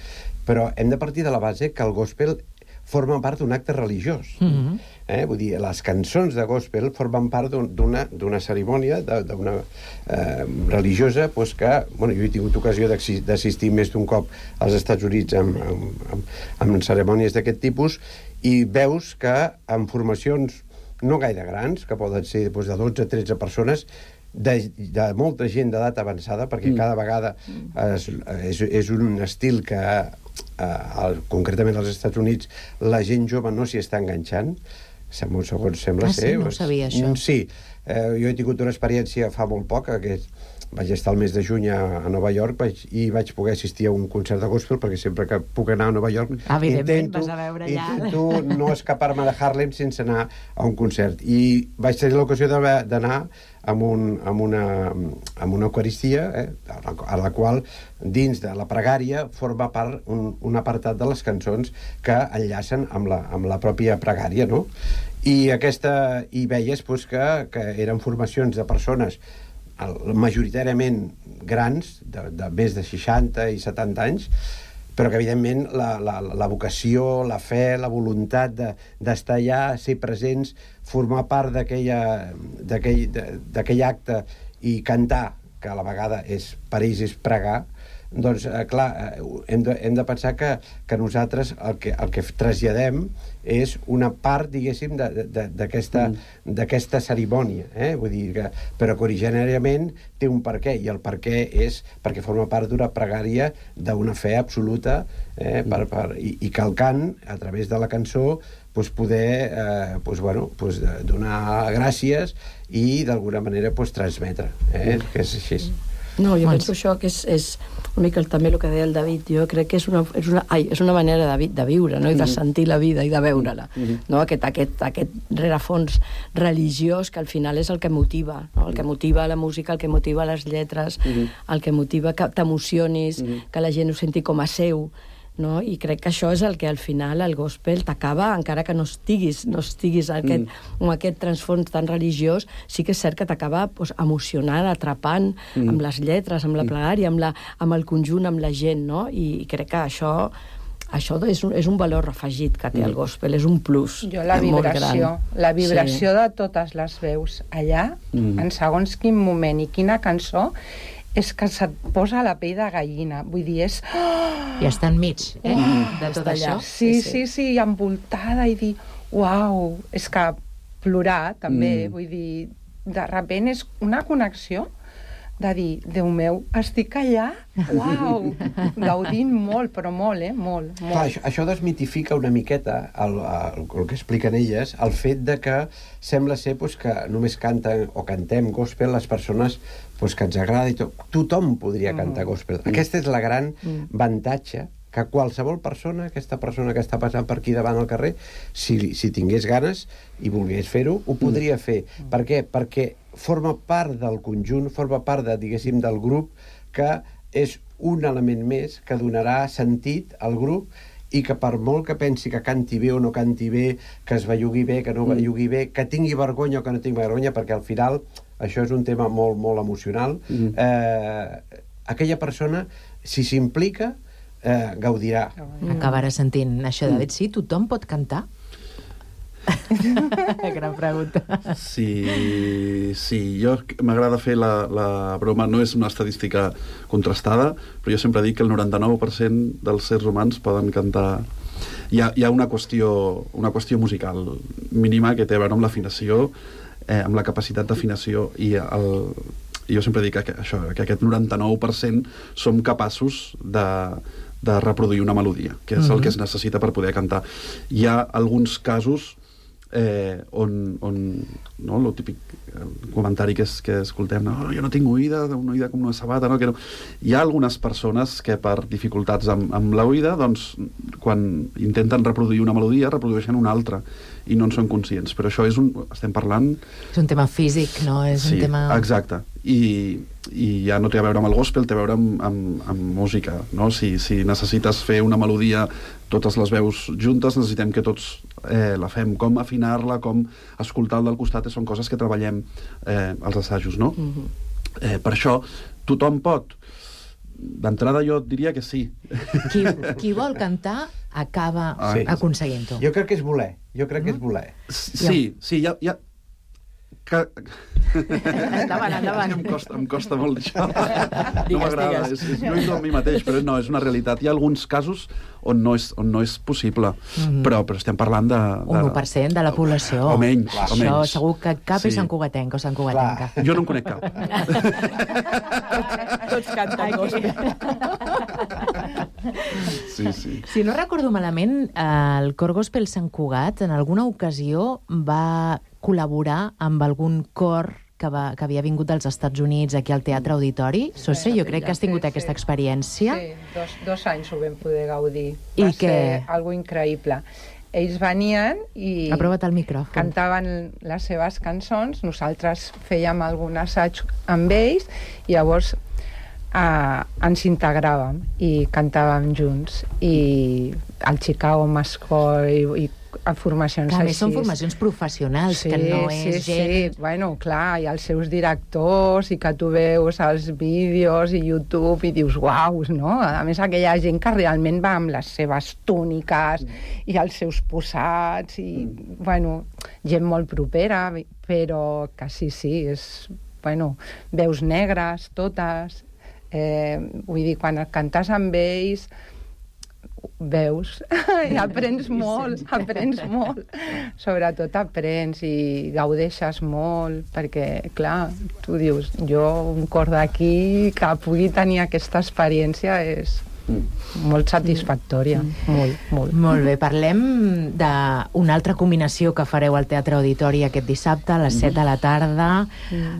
Però hem de partir de la base que el gospel forma part d'un acte religiós. Vull dir, les cançons de gospel formen part d'una cerimònia religiosa que, bueno, jo he tingut ocasió d'assistir més d'un cop als Estats Units amb cerimònies d'aquest tipus, i veus que en formacions no gaire grans, que poden ser de 12-13 persones, de molta gent d'edat avançada, perquè cada vegada és un estil que concretament als Estats Units la gent jove no s'hi està enganxant, segons sembla ser. No sabia això. Sí, jo he tingut una experiència fa molt poc, que vaig estar el mes de juny a Nova York i vaig poder assistir a un concert de gospel, perquè sempre que puc anar a Nova York intento no escapar-me de Harlem sense anar a un concert. I vaig tenir l'ocasió d'anar amb una eucaristia, a la qual dins de la pregària forma part un apartat de les cançons que enllacen amb la pròpia pregària, no? I veies que eren formacions de persones majoritàriament grans, de més de 60 i 70 anys, però que evidentment la vocació, la fe, la voluntat d'estar allà, ser presents, formar part d'aquell acte i cantar, que a la vegada per ells és pregar, doncs, clar, hem de pensar que nosaltres el que traslladem és una part, diguéssim, d'aquesta cerimònia, vull dir però que originàriament té un perquè, i el perquè és perquè forma part d'una pregària d'una fe absoluta, i que el cant, a través de la cançó, poder donar gràcies i d'alguna manera transmetre, que és així. No, jo penso això que és una mica també el que deia el David. Jo crec que és una manera de viure, no? I de sentir la vida i de veure-la, no? Aquest rerefons religiós que al final és el que motiva, no? El que motiva la música, el que motiva les lletres, el que motiva que t'emocionis, que la gent ho senti com a seu, no? I crec que això és el que al final el gospel t'acaba, encara que no estiguis amb aquest transfons tan religiós, sí que és cert que t'acaba emocionant, atrapant amb les lletres, amb la plegària, amb el conjunt, amb la gent, no? I crec que això és un valor afegit que té el gospel, és un plus. Jo la vibració de totes les veus allà, en segons quin moment i quina cançó, és que se't posa la pell de gallina. Vull dir, és... I està enmig, de tot això. Sí, envoltada, i dir, uau, és que plorar, també, vull dir, de sobte és una connexió de dir, Déu meu, estic allà, uau, gaudint molt, però molt, molt. Clar, això desmitifica una miqueta el que expliquen elles, el fet de que sembla ser que només canten o cantem gospel les persones que ens agrada i tot. Tothom podria cantar gospel. Aquesta és la gran avantatge que qualsevol persona, aquesta persona que està passant per aquí davant al carrer, si tingués ganes i volgués fer-ho, ho podria fer. Per què? Perquè forma part del conjunt, forma part, diguéssim, del grup, que és un element més que donarà sentit al grup i que per molt que pensi que canti bé o no canti bé, que es bellugui bé, que no bellugui bé, que tingui vergonya o que no tingui vergonya, perquè al final això és un tema molt, molt emocional, aquella persona, si s'implica, gaudirà. Acabarà sentint això, David. Sí, tothom pot cantar? Gran pregunta. Sí, jo m'agrada fer la broma, no és una estadística contrastada, però jo sempre dic que el 99% dels éssers humans poden cantar. Hi ha una qüestió musical mínima que té a veure amb l'afinació, amb la capacitat d'afinació, i jo sempre dic que aquest 99% som capaços de reproduir una melodia, que és el que es necessita per poder cantar. Hi ha alguns casos on el típic comentari que escoltem, jo no tinc oïda, una oïda com una sabata, no? Hi ha algunes persones que per dificultats amb l'oïda, doncs, quan intenten reproduir una melodia, reprodueixen una altra i no en són conscients, però això estem parlant... És un tema físic, no? És un tema... Exacte, i ja no té a veure amb el gospel, té a veure amb música, no? Si necessites fer una melodia, totes les veus juntes, necessitem que tots la fem, com afinar-la, com escoltar el del costat, són coses que treballem als assajos, no? Per això, tothom pot. D'entrada jo diria que sí. Qui vol cantar acaba aconseguint-ho. Jo crec que és voler. Sí, ja... Endavant. Em costa molt això. No m'agrada, no és a mi mateix, però no, és una realitat. Hi ha alguns casos on no és possible, però estem parlant de... Un 1% de la població. O menys. Això segur que cap és santcugatenc o santcugatenca. Jo no en conec cap. Tots canten gospel. Sí. Si no recordo malament, el Cor Gospel Sant Cugat en alguna ocasió va col·laborar amb algun cor que havia vingut dels Estats Units aquí al Teatre Auditori. Sose, jo crec que has tingut aquesta experiència. Sí, 2 anys ho vam poder gaudir. Va ser algo increïble. Ells venien i aprova't el micròfon. Cantaven les seves cançons, nosaltres fèiem algun assaig amb ells i llavors ens integràvem i cantàvem junts. I el Chicago Mass Choir i formacions així. A més són formacions professionals, que no és gent... Sí, bueno, clar, hi ha els seus directors i que tu veus els vídeos i YouTube i dius, uau, no? A més, aquella gent que realment va amb les seves túniques i els seus posats i, bueno, gent molt propera, però que sí, és, bueno, veus negres, totes... vull dir, quan cantes amb ells veus i aprens molt, sobretot aprens i gaudeixes molt, perquè clar, tu dius, jo un cor d'aquí que pugui tenir aquesta experiència és molt satisfactòria, molt. Molt bé, parlem d'una altra combinació que fareu al Teatre Auditori aquest dissabte a les 7 de la tarda.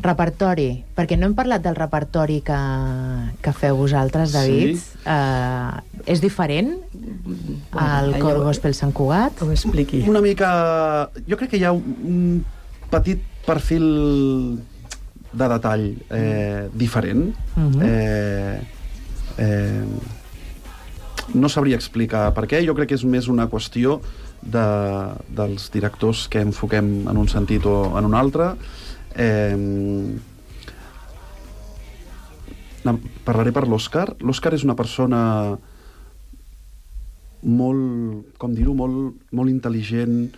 Repertori, perquè no hem parlat del repertori que feu vosaltres, David. És diferent al Cor Gospel Sant Cugat? Ho expliqui. Una mica... Jo crec que hi ha un petit perfil de detall diferent. No sabria explicar per què. Jo crec que és més una qüestió dels directors que enfoquem en un sentit o en un altre. Parlaré per l'Òscar. L'Òscar és una persona molt, com dir-ho, molt intel·ligent,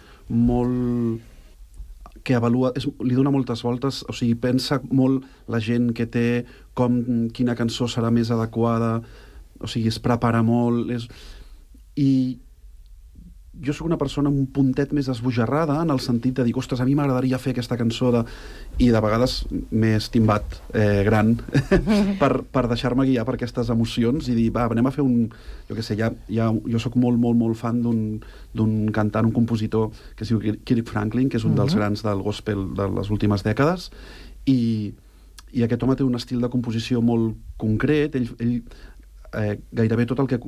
que avalua, li dona moltes voltes, o sigui, pensa molt la gent que té, quina cançó serà més adequada, o sigui, es prepara molt, i jo sóc una persona un puntet més esbojarrada en el sentit de dir, ostres, a mi m'agradaria fer aquesta cançó i de vegades m'he estimbat gran per deixar-me guiar per aquestes emocions i dir, va, anem a fer un... Jo què sé, jo sóc molt fan d'un cantant, un compositor que es diu Kirk Franklin, que és un dels grans del gospel de les últimes dècades, i aquest home té un estil de composició molt concret. Ell gairebé tot el que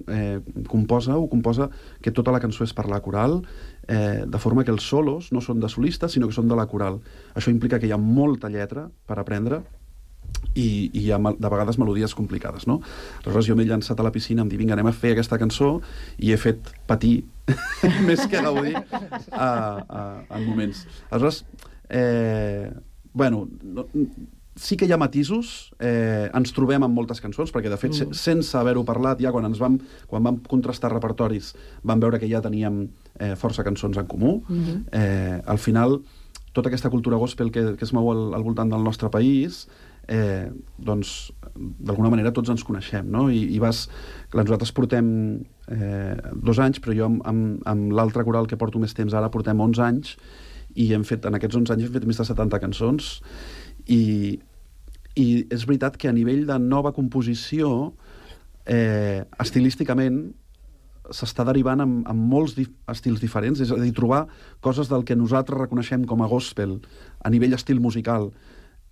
composa que tota la cançó és per la coral, de forma que els solos no són de solistes sinó que són de la coral. Això implica que hi ha molta lletra per aprendre i hi ha de vegades melodies complicades, no? Aleshores jo m'he llançat a la piscina, em dic, vinga, anem a fer aquesta cançó, i he fet patir més que gaudir en moments. Aleshores, bueno, sí que hi ha matisos, ens trobem amb moltes cançons, perquè de fet, sense haver-ho parlat, ja quan vam contrastar repertoris, vam veure que ja teníem força cançons en comú. Al final, tota aquesta cultura gospel que es mou al voltant del nostre país, doncs, d'alguna manera tots ens coneixem, no? I nosaltres portem 2 anys, però jo amb l'altre coral que porto més temps ara portem 11 anys, i en aquests 11 anys hem fet més de 70 cançons, i és veritat que a nivell de nova composició, estilísticament, s'està derivant amb molts estils diferents, és a dir, trobar coses del que nosaltres reconeixem com a gospel a nivell estil musical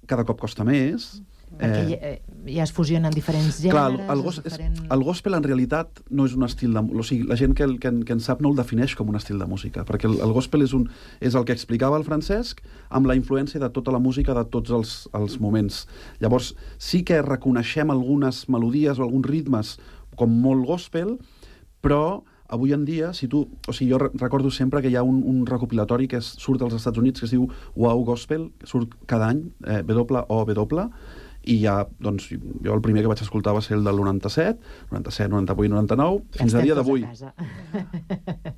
cada cop costa més. Perquè ja es fusionen diferents gèneres. Clar, el gospel en realitat no és un estil de... O sigui, la gent que en sap no el defineix com un estil de música, perquè el gospel és el que explicava el Francesc amb la influència de tota la música de tots els moments. Llavors, sí que reconeixem algunes melodies o alguns ritmes com molt gospel, però avui en dia, jo recordo sempre que hi ha un recopilatori que surt als Estats Units que es diu Wow Gospel, que surt cada any, WOW, i ja, doncs, jo el primer que vaig escoltar va ser el del 97, 98, 99, fins a dia d'avui.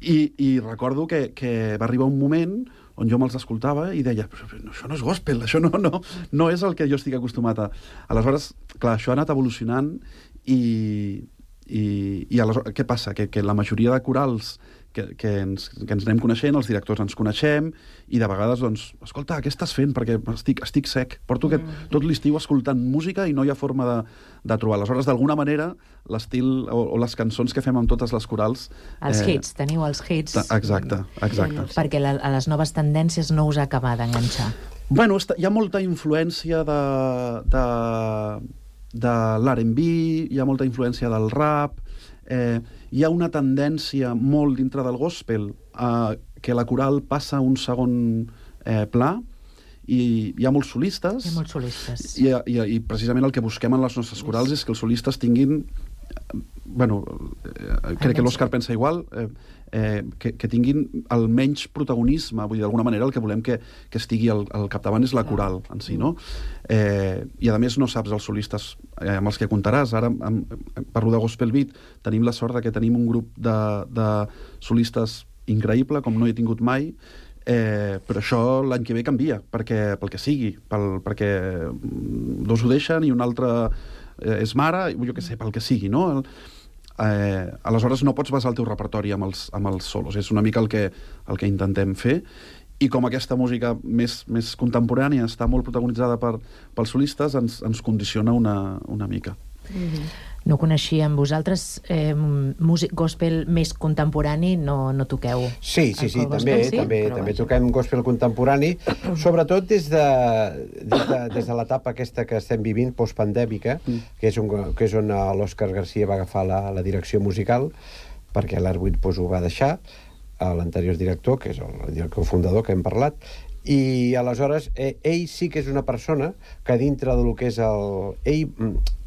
I recordo que va arribar un moment on jo me'ls escoltava i deia, però això no és gospel, això no és el que jo estic acostumat a... Aleshores, clar, això ha anat evolucionant i aleshores, què passa? Que la majoria de corals que ens anem coneixent, els directors ens coneixem, i de vegades, doncs, escolta, què estàs fent? Perquè estic sec. Porto tot l'estiu escoltant música i no hi ha forma de trobar. Aleshores, d'alguna manera, l'estil o les cançons que fem amb totes les corals... Els hits, teniu els hits. Exacte. Perquè a les noves tendències no us acaba d'enganxar. Bueno, hi ha molta influència de l'R&B, hi ha molta influència del rap, hi ha una tendència molt dintre del gospel que la coral passa a un segon pla, i hi ha molts solistes. Hi ha molts solistes. I precisament el que busquem en les nostres corals és que els solistes tinguin crec que l'Òscar pensa igual, que tinguin el menys protagonisme, vull dir, d'alguna manera el que volem que estigui al capdavant és la coral en si, no? I a més no saps els solistes amb els que comptaràs. Ara parlo de Gospel Beat, tenim la sort que tenim un grup de solistes increïble, com no he tingut mai, però això l'any que ve canvia, pel que sigui, perquè dos ho deixen i un altre és mare, jo què sé, pel que sigui, no? Aleshores no pots basar el teu repertori amb els solos, és una mica el que intentem fer, i com aquesta música més contemporània està molt protagonitzada pels solistes, ens condiciona una mica. No coneixíem vosaltres músic gospel més contemporani, no toqueu? Sí, també toquem gospel contemporani, sobretot des de l'etapa aquesta que estem vivint, postpandèmica, que és on l'Òscar Garcia va agafar la direcció musical, perquè l'Arbuit ho va deixar, l'anterior director, que és el director fundador que hem parlat, i aleshores ell sí que és una persona que dintre del que és ell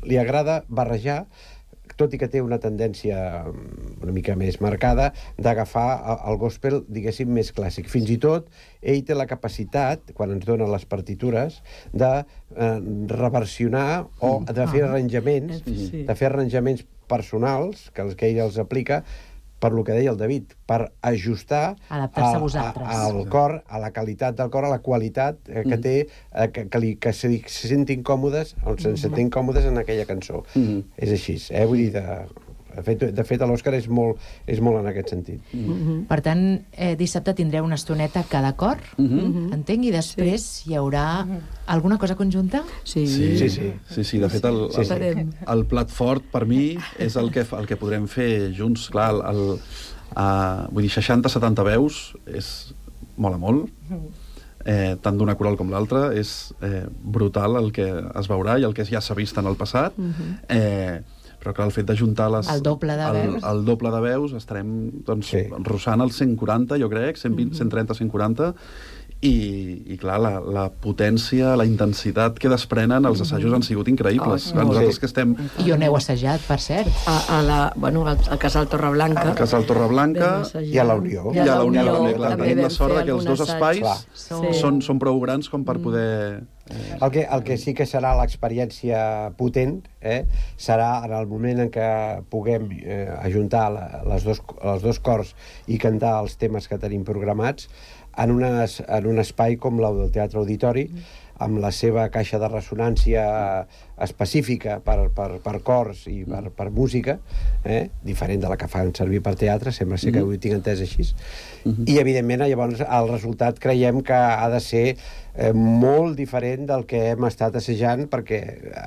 li agrada barrejar, tot i que té una tendència una mica més marcada d'agafar el gospel, diguéssim, més clàssic. Fins i tot ell té la capacitat, quan ens dona les partitures, de reversionar o de fer arranjaments personals que ell els aplica, per lo que deia el David, per ajustar al cor, a la qualitat del cor, a la qualitat que té, que se sentin còmodes, on se sentin còmodes en aquella cançó. És així, vull dir, de fet l'Òscar és molt en aquest sentit. Per tant, dissabte tindreu una estoneta cada cor, entenc, i després hi haurà alguna cosa conjunta? Sí, de fet el plat fort per mi és el que podrem fer junts. Clar, vull dir, 60-70 veus mola molt, tant d'una coral com l'altra, és brutal el que es veurà i el que ja s'ha vist en el passat, però clar, el fet d'ajuntar el doble de veus estarem rossant els 140, jo crec, 130-140, i clar, la potència, la intensitat que desprenen els assajos han sigut increïbles. Nosaltres que estem... I on heu assajat, per cert? Al Casal Torreblanca. Al Casal Torreblanca i a la Unió. I a la Unió. Tenim la sort que els dos espais són prou grans com per poder... El que sí que serà l'experiència potent serà en el moment en què puguem ajuntar els dos cors i cantar els temes que tenim programats en un espai com el del Teatre Auditori, amb la seva caixa de ressonància específica per cors i per música, diferent de la que fan servir per teatre, sembla ser que ho tinc entès així. I, evidentment, llavors, el resultat creiem que ha de ser molt diferent del que hem estat assajant, perquè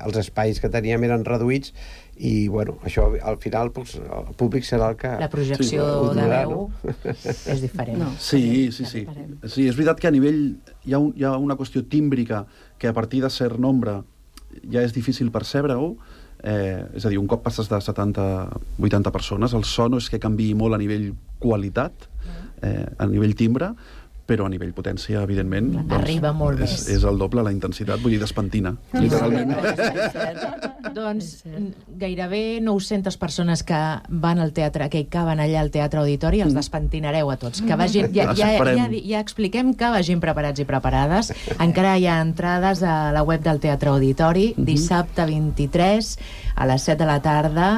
els espais que teníem eren reduïts i, bueno, això, al final, el públic serà el que... La projecció de veu és diferent. Sí, és veritat que a nivell hi ha una qüestió tímbrica que a partir de cert nombre ja és difícil percebre-ho, és a dir, un cop passes de 70-80 persones, el so no és que canviï molt a nivell qualitat, a nivell timbre, però a nivell potència, evidentment, arriba molt més. És el doble la intensitat, vull dir, despentina, literalment. Doncs gairebé 900 persones que van al teatre, que hi caben allà al Teatre Auditori, els despentinareu a tots. Que vagin, ja expliquem que vagin preparats i preparades. Encara hi ha entrades a la web del Teatre Auditori, dissabte 23 a les 7 de la tarda.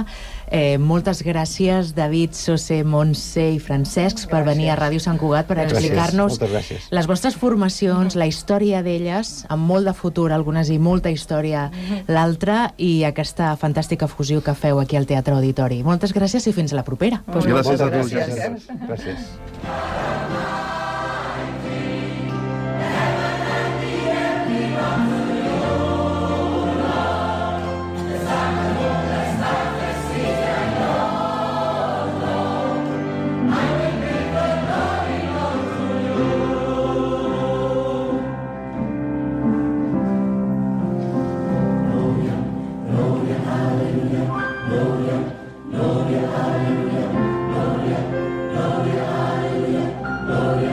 Moltes gràcies, David, Sose, Montse i Francesc, per venir a Ràdio Sant Cugat per explicar-nos les vostres formacions, la història d'elles, amb molt de futur, algunes, i molta història l'altra, i aquesta fantàstica fusió que feu aquí al Teatre Auditori. Moltes gràcies i fins a la propera. Gràcies a tots. Gràcies. Gloria,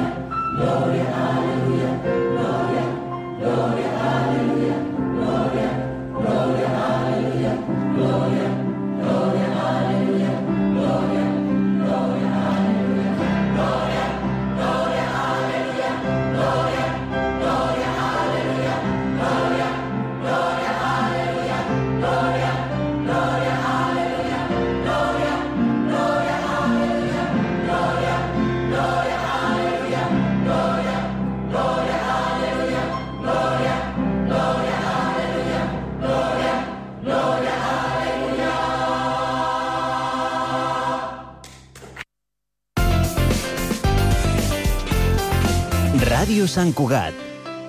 Ràdio Sant Cugat.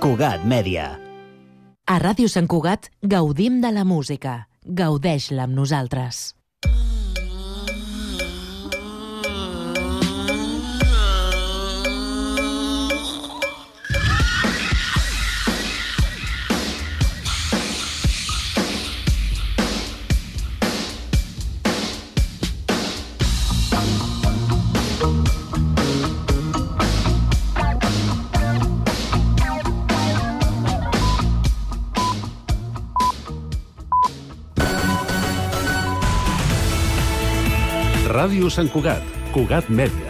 Cugat Mèdia. A Ràdio Sant Cugat gaudim de la música. Gaudeix-la amb nosaltres. Ràdio Sant Cugat, Cugat Mèdia.